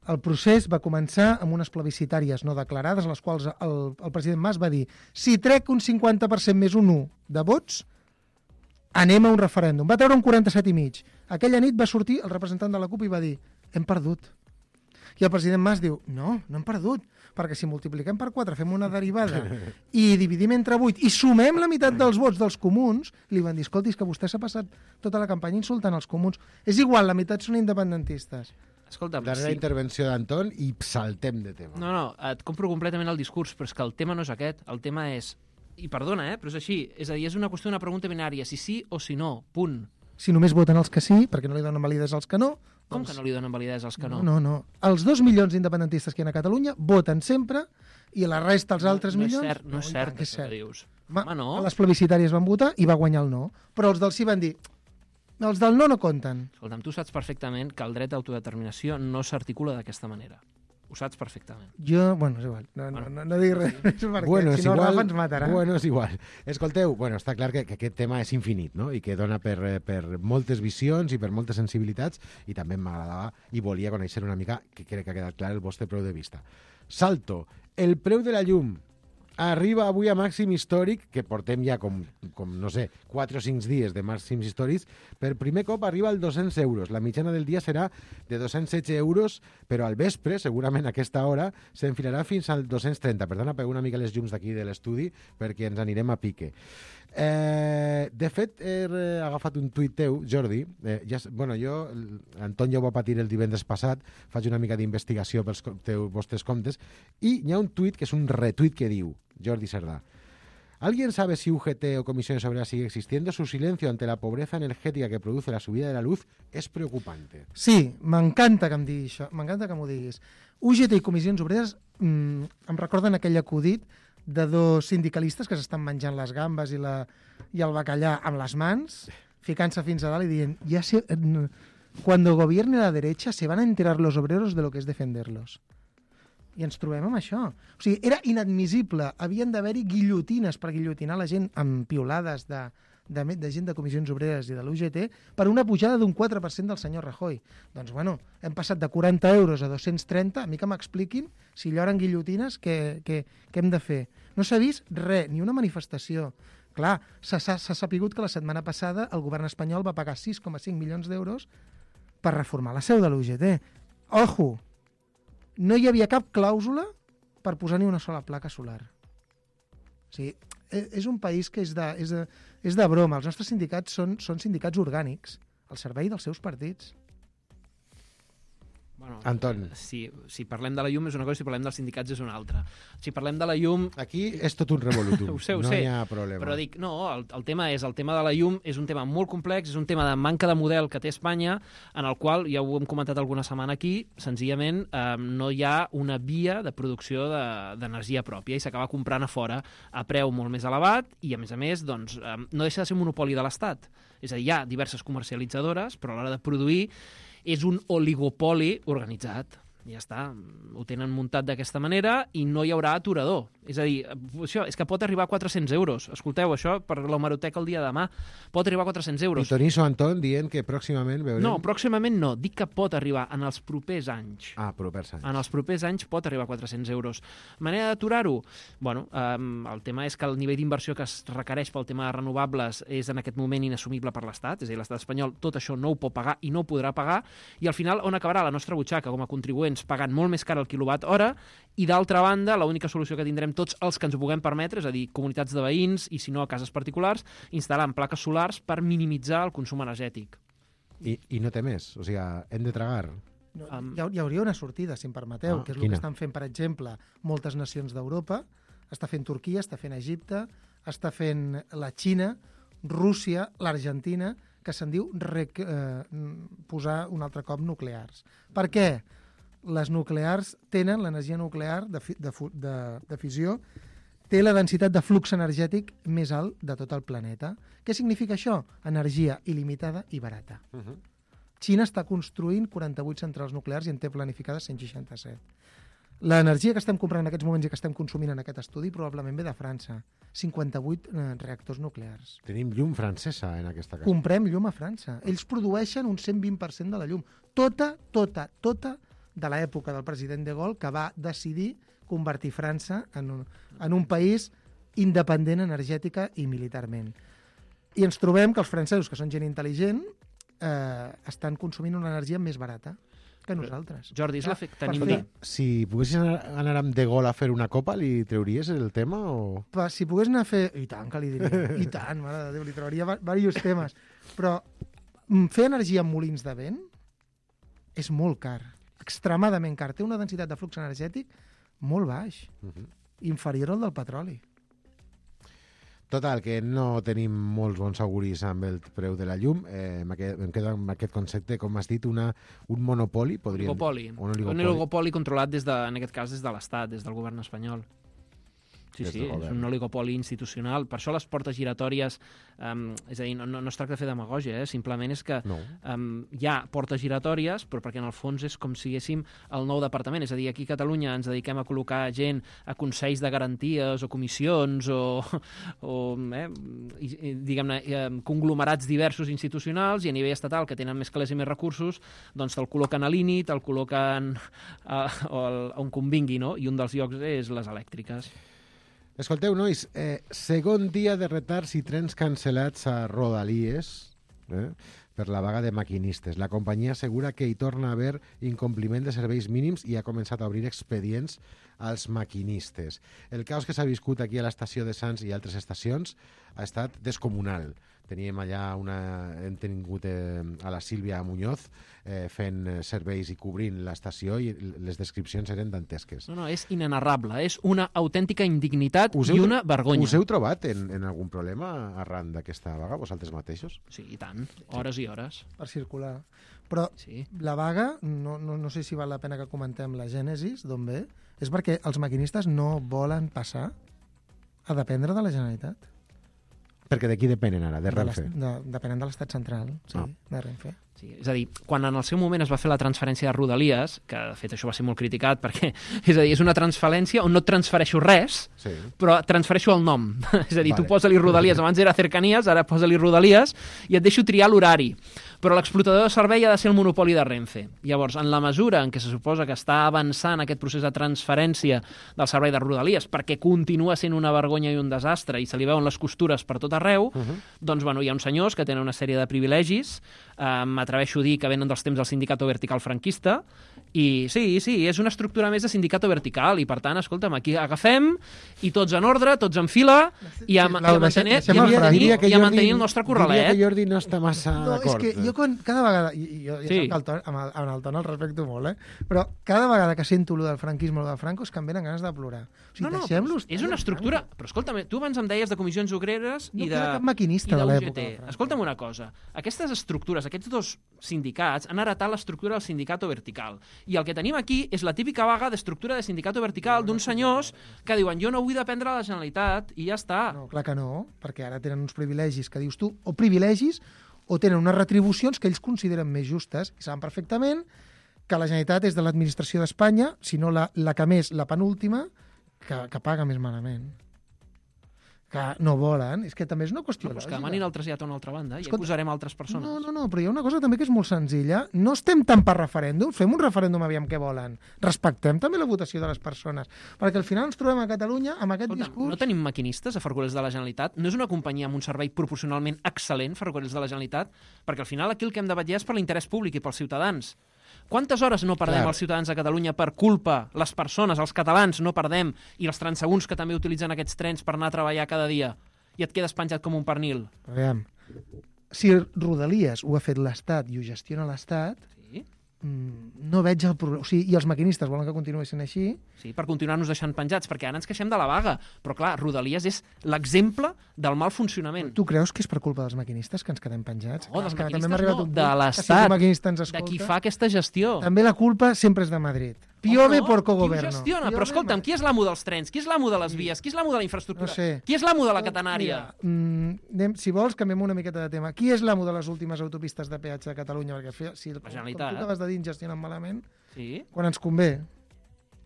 el procés va començar amb unes plebiscitàries no declarades, a les quals el president Mas va dir si trec un 50% més un 1 de vots, anem a un referèndum. Va treure un 47,5. Aquella nit va sortir el representant de la CUP i va dir hem perdut. I el president Mas diu no hem perdut, perquè si multipliquem per 4 fem una derivada i dividim entre 8 i sumem la meitat dels vots dels comuns, li van dir, escolti, és que vostè s'ha passat tota la campanya insultant els comuns. És igual, la meitat són independentistes. Escolta'm, darrera intervenció d'Anton i saltem de tema. No, et compro completament el discurs, però és que el tema no és aquest. El tema és, i perdona, però és així, és a dir, és una qüestió d'una pregunta binària, si sí o si no, punt. Si només voten els que sí, perquè no li donen validesa als que no, Com que no li donen validesa als que no? No. Els 2 milions d'independentistes que hi ha a Catalunya voten sempre i la resta, els altres milions... No és cert, això que dius. Home, no. A les plebiscitàries van votar i va guanyar el no. Però els del sí van dir... Els del no compten. Escolta'm, tu saps perfectament que el dret d'autodeterminació no s'articula d'aquesta manera. Ho saps perfectament. Jo, bueno, és igual. No dic res. Perquè, si no, Rafa ens matarà. Bueno, és igual. Escolteu, està clar que aquest tema és infinit, no? I que dona per moltes visions i per moltes sensibilitats, i també m'agradava i volia conèixer una mica, que crec que ha quedat clar, el vostre preu de vista. Salto. El preu de la llum arriba avui a màxim històric, que portem ja com no sé, 4 o 5 dies de màxims històrics. Per primer cop arriba als 200 euros. La mitjana del dia serà de 216 euros, però al vespre, segurament a aquesta hora, s'enfilarà fins al 230. Per tant, apagueu una mica les llums d'aquí de l'estudi perquè ens anirem a pique. De fet, he agafat un tuit teu, Jordi. Anton ja ho va patir el divendres passat, faig una mica d'investigació pels vostres comptes, i hi ha un tuit que és un retuit que diu, Jordi Cerdà: ¿alguien sabe si UGT o Comisiones Obreras sigue existiendo? Su silencio ante la pobreza energética que produce la subida de la luz es preocupante. Sí, m'encanta que em diguis això, m'encanta que m'ho diguis. UGT i Comissions Obreres em recorden aquell acudit de 2 sindicalistes que s'estan menjant les gambes i el bacallà amb les mans, ficant-se fins a dalt i dient cuando gobierne la derecha se van a enterar los obreros de lo que es defenderlos. I ens trobem amb això. O sigui, era inadmissible. Havien d'haver-hi guillotines per guillotinar la gent amb piolades de gent de Comissions Obreres i de l'UGT per una pujada d'un 4% del senyor Rajoy. Doncs, bueno, hem passat de 40 euros a 230. A mi que m'expliquin si lloren guillotines, què hem de fer? No s'ha vist res, ni una manifestació. Clar, s'ha sapigut que la setmana passada el govern espanyol va pagar 6,5 milions d'euros per reformar la seu de l'UGT. Ojo! No hi havia cap clàusula per posar ni una sola placa solar. O sigui, és un país que és de broma. Els nostres sindicats són sindicats orgànics al servei dels seus partits. Bueno, Anton. Si parlem de la llum és una cosa, si parlem dels sindicats és una altra. Si parlem de la llum... Aquí és tot un revolutum. Ho sé. No hi ha problema. Però dic, no, el tema de la llum és un tema molt complex, és un tema de manca de model que té Espanya, en el qual, ja ho hem comentat alguna setmana aquí, senzillament no hi ha una via de producció d'energia pròpia i s'acaba comprant a fora a preu molt més elevat i, a més, doncs, no deixa de ser un monopoli de l'Estat. És a dir, hi ha diverses comercialitzadores, però a l'hora de produir és un oligopoli organitzat. Ja està, ho tenen muntat d'aquesta manera i no hi haurà aturador. És a dir, això és que pot arribar a 400 euros. Escolteu, això per l'hemeroteca el dia de demà pot arribar a 400 euros. I Toniso Anton dient que pròximament veurem... No, pròximament no. Dic que pot arribar en els propers anys. Propers anys. En els propers anys pot arribar a 400 euros. Manera d'aturar-ho? Bueno, el tema és que el nivell d'inversió que es requereix pel tema de renovables és en aquest moment inassumible per l'Estat. És a dir, l'Estat espanyol tot això no ho pot pagar i no ho podrà pagar. I al final, on acabarà la nostra butxaca com a contribuents pagant molt més car el quilowatt hora i, d'altra banda, l'única solució que tindrem tots els que ens ho puguem permetre, és a dir, comunitats de veïns i, si no, cases particulars, instal·lant plaques solars per minimitzar el consum energètic. I no té més? O sigui, hem de tragar? No, hi hauria una sortida, si em permeteu, que és el que estan fent, per exemple, moltes nacions d'Europa. Està fent Turquia, està fent Egipte, està fent la Xina, Rússia, l'Argentina, que se'n diu posar un altre cop nuclears. Per què? Les nuclears tenen, l'energia nuclear de fissió, té la densitat de flux energètic més alt de tot el planeta. Què significa això? Energia il·limitada i barata. Xina està construint 48 centrals nuclears i en té planificades 167. L'energia que estem comprant en aquests moments i que estem consumint en aquest estudi probablement ve de França. 58 reactors nuclears. Tenim llum francesa en aquesta casa. Comprem llum a França. Ells produeixen un 120% de la llum. Tota de l'època del president de Gaulle, que va decidir convertir França en un país independent energètica i militarment. I ens trobem que els francesos, que són gent intel·ligent, estan consumint una energia més barata que nosaltres. Jordi, és l'efecte NIMBY. Si poguessis anar amb De Gaulle a fer una copa, li treuries el tema? O... Si pogués anar a fer... I tant, que li diria. I tant, mare de Déu, li trauria diversos temes. Però fer energia amb molins de vent és molt car. Extremadament car. Té una densitat de flux energètic molt baix. Inferior al del petroli. Total, que no tenim molts bons auguris amb el preu de la llum. Em quedo amb aquest concepte, com has dit, un monopoli. Un oligopoli controlat, en aquest cas, des de l'Estat, des del govern espanyol. Sí, és un oligopoli institucional. Per això les portes giratòries, és a dir, no es tracta de fer demagògia, simplement és que hi ha portes giratòries, però perquè en el fons és com si haguéssim el nou departament. És a dir, aquí a Catalunya ens dediquem a col·locar gent a consells de garanties o comissions o diguem-ne, conglomerats diversos institucionals, i a nivell estatal, que tenen més calés i més recursos, doncs te'l col·loquen a l'INI, te'l col·loquen on convingui, no? I un dels llocs és les elèctriques. Escolteu, nois, segon dia de retards i trens cancel·lats a Rodalies per la vaga de maquinistes. La companyia assegura que hi torna a haver incompliment de serveis mínims i ha començat a obrir expedients als maquinistes. El caos que s'ha viscut aquí a l'estació de Sants i altres estacions ha estat descomunal. Teníem allà hem tingut a la Sílvia Muñoz fent serveis i cobrint l'estació, i les descripcions eren dantesques. No, és inenarrable, és una autèntica indignitat i una vergonya. Us heu trobat en algun problema arran d'aquesta vaga, vosaltres mateixos? Sí, i tant, hores i hores. Per circular. Però la vaga, no sé si val la pena que comentem la gènesis, d'on ve, és perquè els maquinistes no volen passar a dependre de la Generalitat. Perquè de qui depenen ara? De Renfe? Depenen de l'Estat central, de Renfe. Sí, és a dir, quan en el seu moment es va fer la transferència de Rodalies, que de fet això va ser molt criticat perquè, és a dir, és una transferència on no et transfereixo res, però transfereixo el nom. És a dir, tu posa-li Rodalies, abans era Cercanías, ara posa-li Rodalies, i et deixo triar l'horari. Però l'explotador de servei ha de ser el monopoli de Renfe. Llavors, en la mesura en què se suposa que està avançant aquest procés de transferència del servei de Rodalies, perquè continua sent una vergonya i un desastre, i se li veuen les costures per tot arreu, doncs, bueno, hi ha uns senyors que tenen una sèrie de privilegis, m'atreveixo a dir que venen dels temps del sindicato vertical franquista, i sí, és una estructura més de sindicato vertical, i per tant, escolta'm, aquí agafem, i tots en ordre, tots en fila, i a mantenir el nostre corralet. Diria que Jordi no està massa d'acord. És que jo cada vegada, jo amb el ton el respecto molt, però cada vegada que sento allò del franquisme o del Franco és que em venen ganes de plorar. O sigui, deixem-los... És una estructura... Però escolta'm, tu abans em deies de comissions obreres i de... No queda cap maquinista de l'època. Escolta'm una cosa, aquestes estructures, aquests dos sindicats han heretat l'estructura del sindicato vertical. I el que tenim aquí és la típica vaga d'estructura de sindicato vertical d'uns senyors que diuen jo no vull dependre de la Generalitat i ja està. No, clar que no, perquè ara tenen uns privilegis que dius tu, o privilegis, o tenen unes retribucions que ells consideren més justes i saben perfectament que la Generalitat és de l'administració d'Espanya, si no la que més, la penúltima, que paga més malament. Que no volen, és que també és una qüestió lògica. Que demanin el trasllat a una altra banda i posarem altres persones. No, però hi ha una cosa també que és molt senzilla. No estem tant per referèndum, fem un referèndum aviam què volen. Respectem també la votació de les persones. Perquè al final ens trobem a Catalunya amb aquest discurs... No tenim maquinistes a Ferrocarrils de la Generalitat? No és una companyia amb un servei proporcionalment excel·lent, Ferrocarrils de la Generalitat? Perquè al final aquí el que hem de vetllar és per l'interès públic i pels ciutadans. Quantes hores no perdem els ciutadans de Catalunya per culpa, les persones, els catalans no perdem, i els transeünts que també utilitzen aquests trens per anar a treballar cada dia, i et quedes penjat com un pernil? Aviam, si Rodalies ho ha fet l'Estat i ho gestiona l'Estat, no veig el problema. O sigui, i els maquinistes volen que continuï sent així. Sí, per continuar-nos deixant penjats, perquè ara ens queixem de la vaga. Però clar, Rodalies és l'exemple del mal funcionament. Tu creus que és per culpa dels maquinistes que ens quedem penjats? No, dels maquinistes no, de l'Estat, de qui fa aquesta gestió. També la culpa sempre és de Madrid. Piove por cogoverno. Qui ho gestiona? Però escolta'm, qui és l'amo dels trens? Qui és l'amo de les vies? Qui és l'amo de la infraestructura? No sé. Qui és l'amo de la catenària? Si vols, canviem una miqueta de tema. Qui és l'amo de les últimes autopistes de peatge de Catalunya? Perquè si la Generalitat. Com tu acabes de dir, gestionen malament, quan ens convé.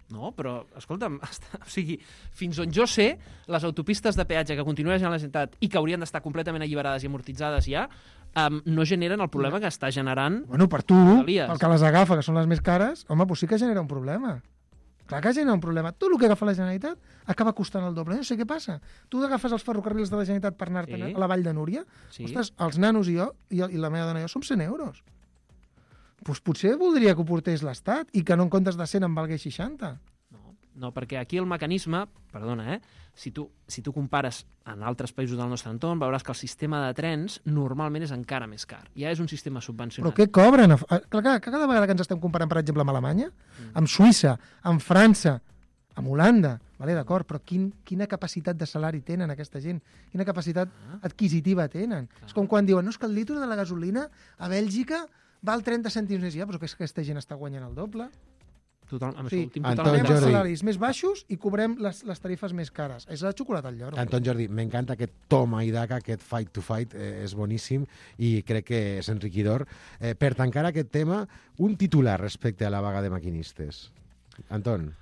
No, però, escolta'm, o sigui, fins on jo sé, les autopistes de peatge que continuen a la Generalitat i que haurien d'estar completament alliberades i amortitzades ja, no generen el problema que està generant... Bueno, per tu, pel que les agafa, que són les més cares, home, doncs sí que genera un problema. Clar que genera un problema. Tot el que agafa la Generalitat acaba costant el doble. No sé què passa. Tu agafes els ferrocarrils de la Generalitat per anar-te'n a la Vall de Núria, ostres, els nanos i jo, i la meva dona i jo, som 100 euros. Doncs potser voldria que ho portés l'Estat i que no en comptes de 100 en valgués 60. No, perquè aquí el mecanisme, perdona, si tu compares en altres països del nostre entorn, veuràs que el sistema de trens normalment és encara més car. Ja és un sistema subvencionat. Però què cobren? Clar, cada vegada que ens estem comparant, per exemple, amb Alemanya, amb Suïssa, amb França, amb Holanda, vale, d'acord, però quina capacitat de salari tenen aquesta gent? Quina capacitat adquisitiva tenen? És com quan diuen, no, és que el litre de la gasolina a Bèlgica val 30 cèntims més, ja, però que és que aquesta gent està guanyant el doble. Anton Jordi, els salaris més baixos i cobrem les tarifes més cares. És la xocolata al lloro. Anton Jordi, m'encanta aquest toma i daca, aquest fight to fight, és boníssim i crec que és enriquidor. Per tancar aquest tema, un titular respecte a la vaga de maquinistes. Anton.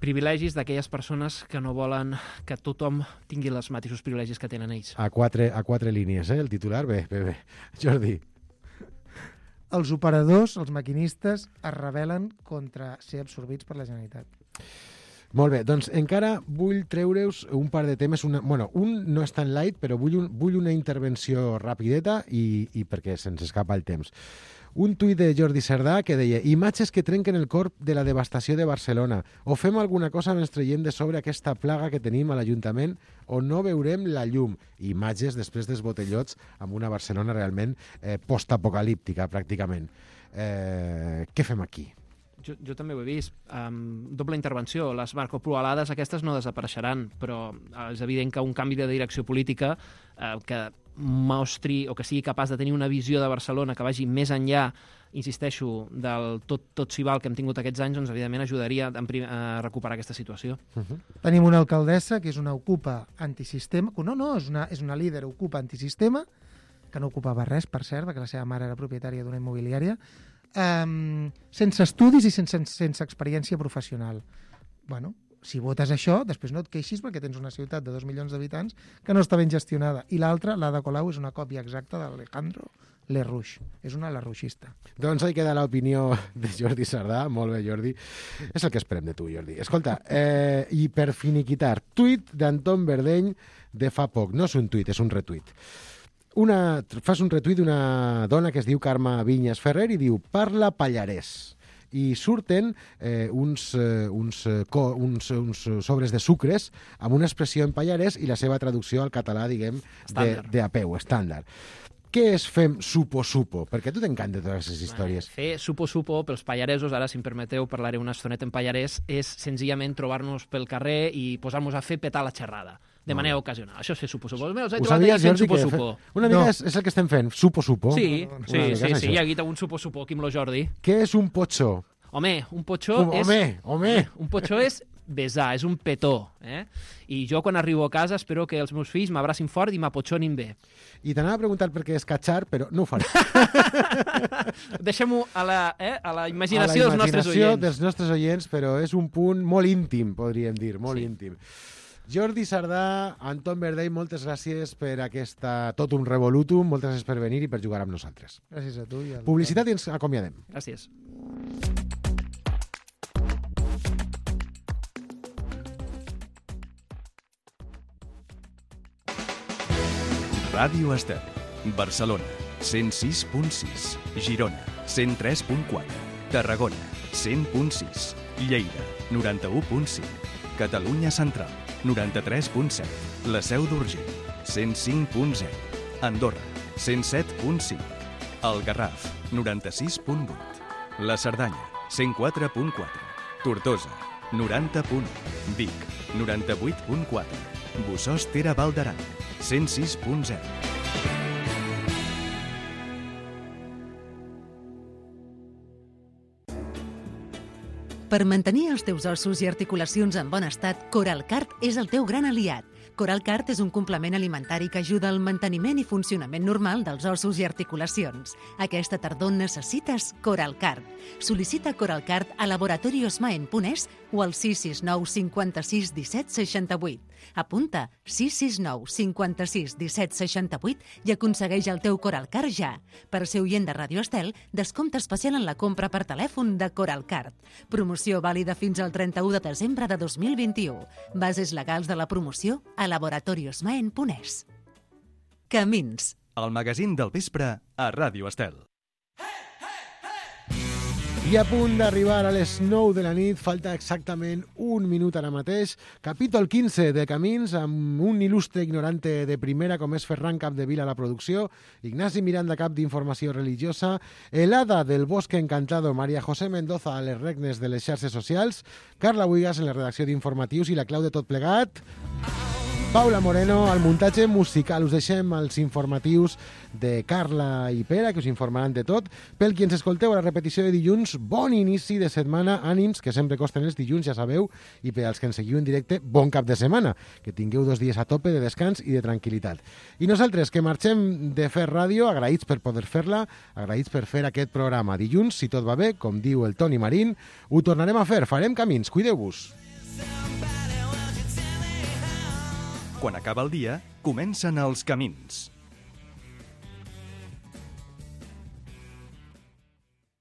Privilegis d'aquelles persones que no volen que tothom tingui els mateixos privilegis que tenen ells. A quatre línies, el titular? Bé. Jordi. Els operadors, els maquinistes, es rebel·len contra ser absorbits per la Generalitat. Molt bé, doncs encara vull treure-us un par de temes. Un no és tan light, però vull una intervenció rapideta i perquè se'ns escapa el temps. Un tuit de Jordi Cerdà que deia: imatges que trenquen el cor de la devastació de Barcelona. O fem alguna cosa mentre traiem de sobre aquesta plaga que tenim a l'Ajuntament o no veurem la llum. Imatges després dels botellots amb una Barcelona realment postapocalíptica, pràcticament. Què fem aquí? Jo també ho he vist. Doble intervenció. Les marcoplualades aquestes no desapareixeran, però és evident que un canvi de direcció política que mostri o que sigui capaç de tenir una visió de Barcelona que vagi més enllà, insisteixo, del tot s'hi val que hem tingut aquests anys, doncs evidentment ajudaria a recuperar aquesta situació. Tenim una alcaldessa que és una ocupa antisistema, és una líder ocupa antisistema, que no ocupava res, per cert, perquè la seva mare era propietària d'una immobiliària, sense estudis i sense experiència professional. Bueno, si votes això, després no et queixis perquè tens una ciutat de 2 milions d'habitants que no està ben gestionada. I l'altra, l'Ada Colau, és una còpia exacta d'Alejandro Lerrouche. És una lerrouxista. Doncs ahí queda l'opinió de Jordi Cerdà. Molt bé, Jordi. És el que esperem de tu, Jordi. Escolta, i per finiquitar, tuit d'Anton Verdeny de fa poc. No és un tuit, és un retuit. Fas un retuit d'una dona que es diu Carme Vinyes Ferrer i diu: parla pallarès. I surten uns sobres de sucres amb una expressió en pallarès i la seva traducció al català, diguem, de a peu, estàndard. Què és fem supo-supo? Perquè a tu t'encanten totes aquestes històries. Fer supo-supo pels pallaresos, ara, si em permeteu, parlaré una estoneta en pallarès, és senzillament trobar-nos pel carrer i posar-nos a fer petar la xerrada. De manera ocasional. Això és fer supo-supo. Ho sabies, Jordi, que una mica és el que estem fent, supo-supo? Sí, hi ha guita un supo-supo aquí amb lo Jordi. Què és un potxó? Home, un potxó és... Home! Un potxó és besar, és un petó. I jo, quan arribo a casa, espero que els meus fills m'abracin fort i m'apotxonin bé. I t'anava a preguntar per què és catxar, però no ho faré. Deixem-ho a la imaginació dels nostres oients. A la imaginació dels nostres oients, però és un punt molt íntim, podríem dir, molt íntim. Jordi Cerdà, Anton Verdeny, moltes gràcies per aquesta tot un revolutum, moltes gràcies per venir i per jugar amb nosaltres. Gràcies a tu. Publicitat i ens acomiadem. Gràcies. Ràdio Estel, Barcelona, 106.6, Girona, 103.4, Tarragona, 100.6, Lleida, 91.5, Catalunya Central, 93.7, La Seu d'Urgell, 105.0, Andorra, 107.5, El Garraf, 96.8, La Cerdanya, 104.4, Tortosa, 90.1, Vic, 98.4, Bossòst Tere Val d'Aran, 106.0. Per mantenir els teus ossos i articulacions en bon estat, Coralcart és el teu gran aliat. Coralcart és un complement alimentari que ajuda al manteniment i funcionament normal dels ossos i articulacions. Aquesta tardor necessites Coralcart. Sol·licita Coralcart a laboratoriosmaen.es o al 669 56 17 68. Apunta 669 56 17 68 i aconsegueix el teu Coralcart ja. Per ser oient de Ràdio Estel, descompte especial en la compra per telèfon de Coralcart. Promoció vàlida fins al 31 de desembre de 2021. Bases legals de la promoció a laboratoriosmaen.es. Camins. El magazín del vespre a Ràdio Estel. I a punt d'arribar a les 9 de la nit, falta exactament un minut ara mateix. Capítol 15 de Camins, amb un il·lustre ignorante de primera com és Ferran Capdevila a la producció, Ignasi Miranda, cap d'Informació Religiosa, el hada del Bosque Encantado, María José Mendoza, a les regnes de les xarxes socials, Carla Buigas en la redacció d'informatius i la clau de tot plegat, Paula Moreno, al muntatge musical. Us deixem els informatius de Carla i Pere, que us informaran de tot. Pel qui ens escolteu a la repetició de dilluns, bon inici de setmana, ànims, que sempre costen els dilluns, ja sabeu, i per als que ens seguiu en directe, bon cap de setmana, que tingueu 2 dies a tope de descans i de tranquil·litat. I nosaltres, que marxem de fer ràdio, agraïts per poder fer-la, agraïts per fer aquest programa. Dilluns, si tot va bé, com diu el Toni Marín, ho tornarem a fer, farem camins, cuideu-vos. Quan acaba el dia, comencen els camins.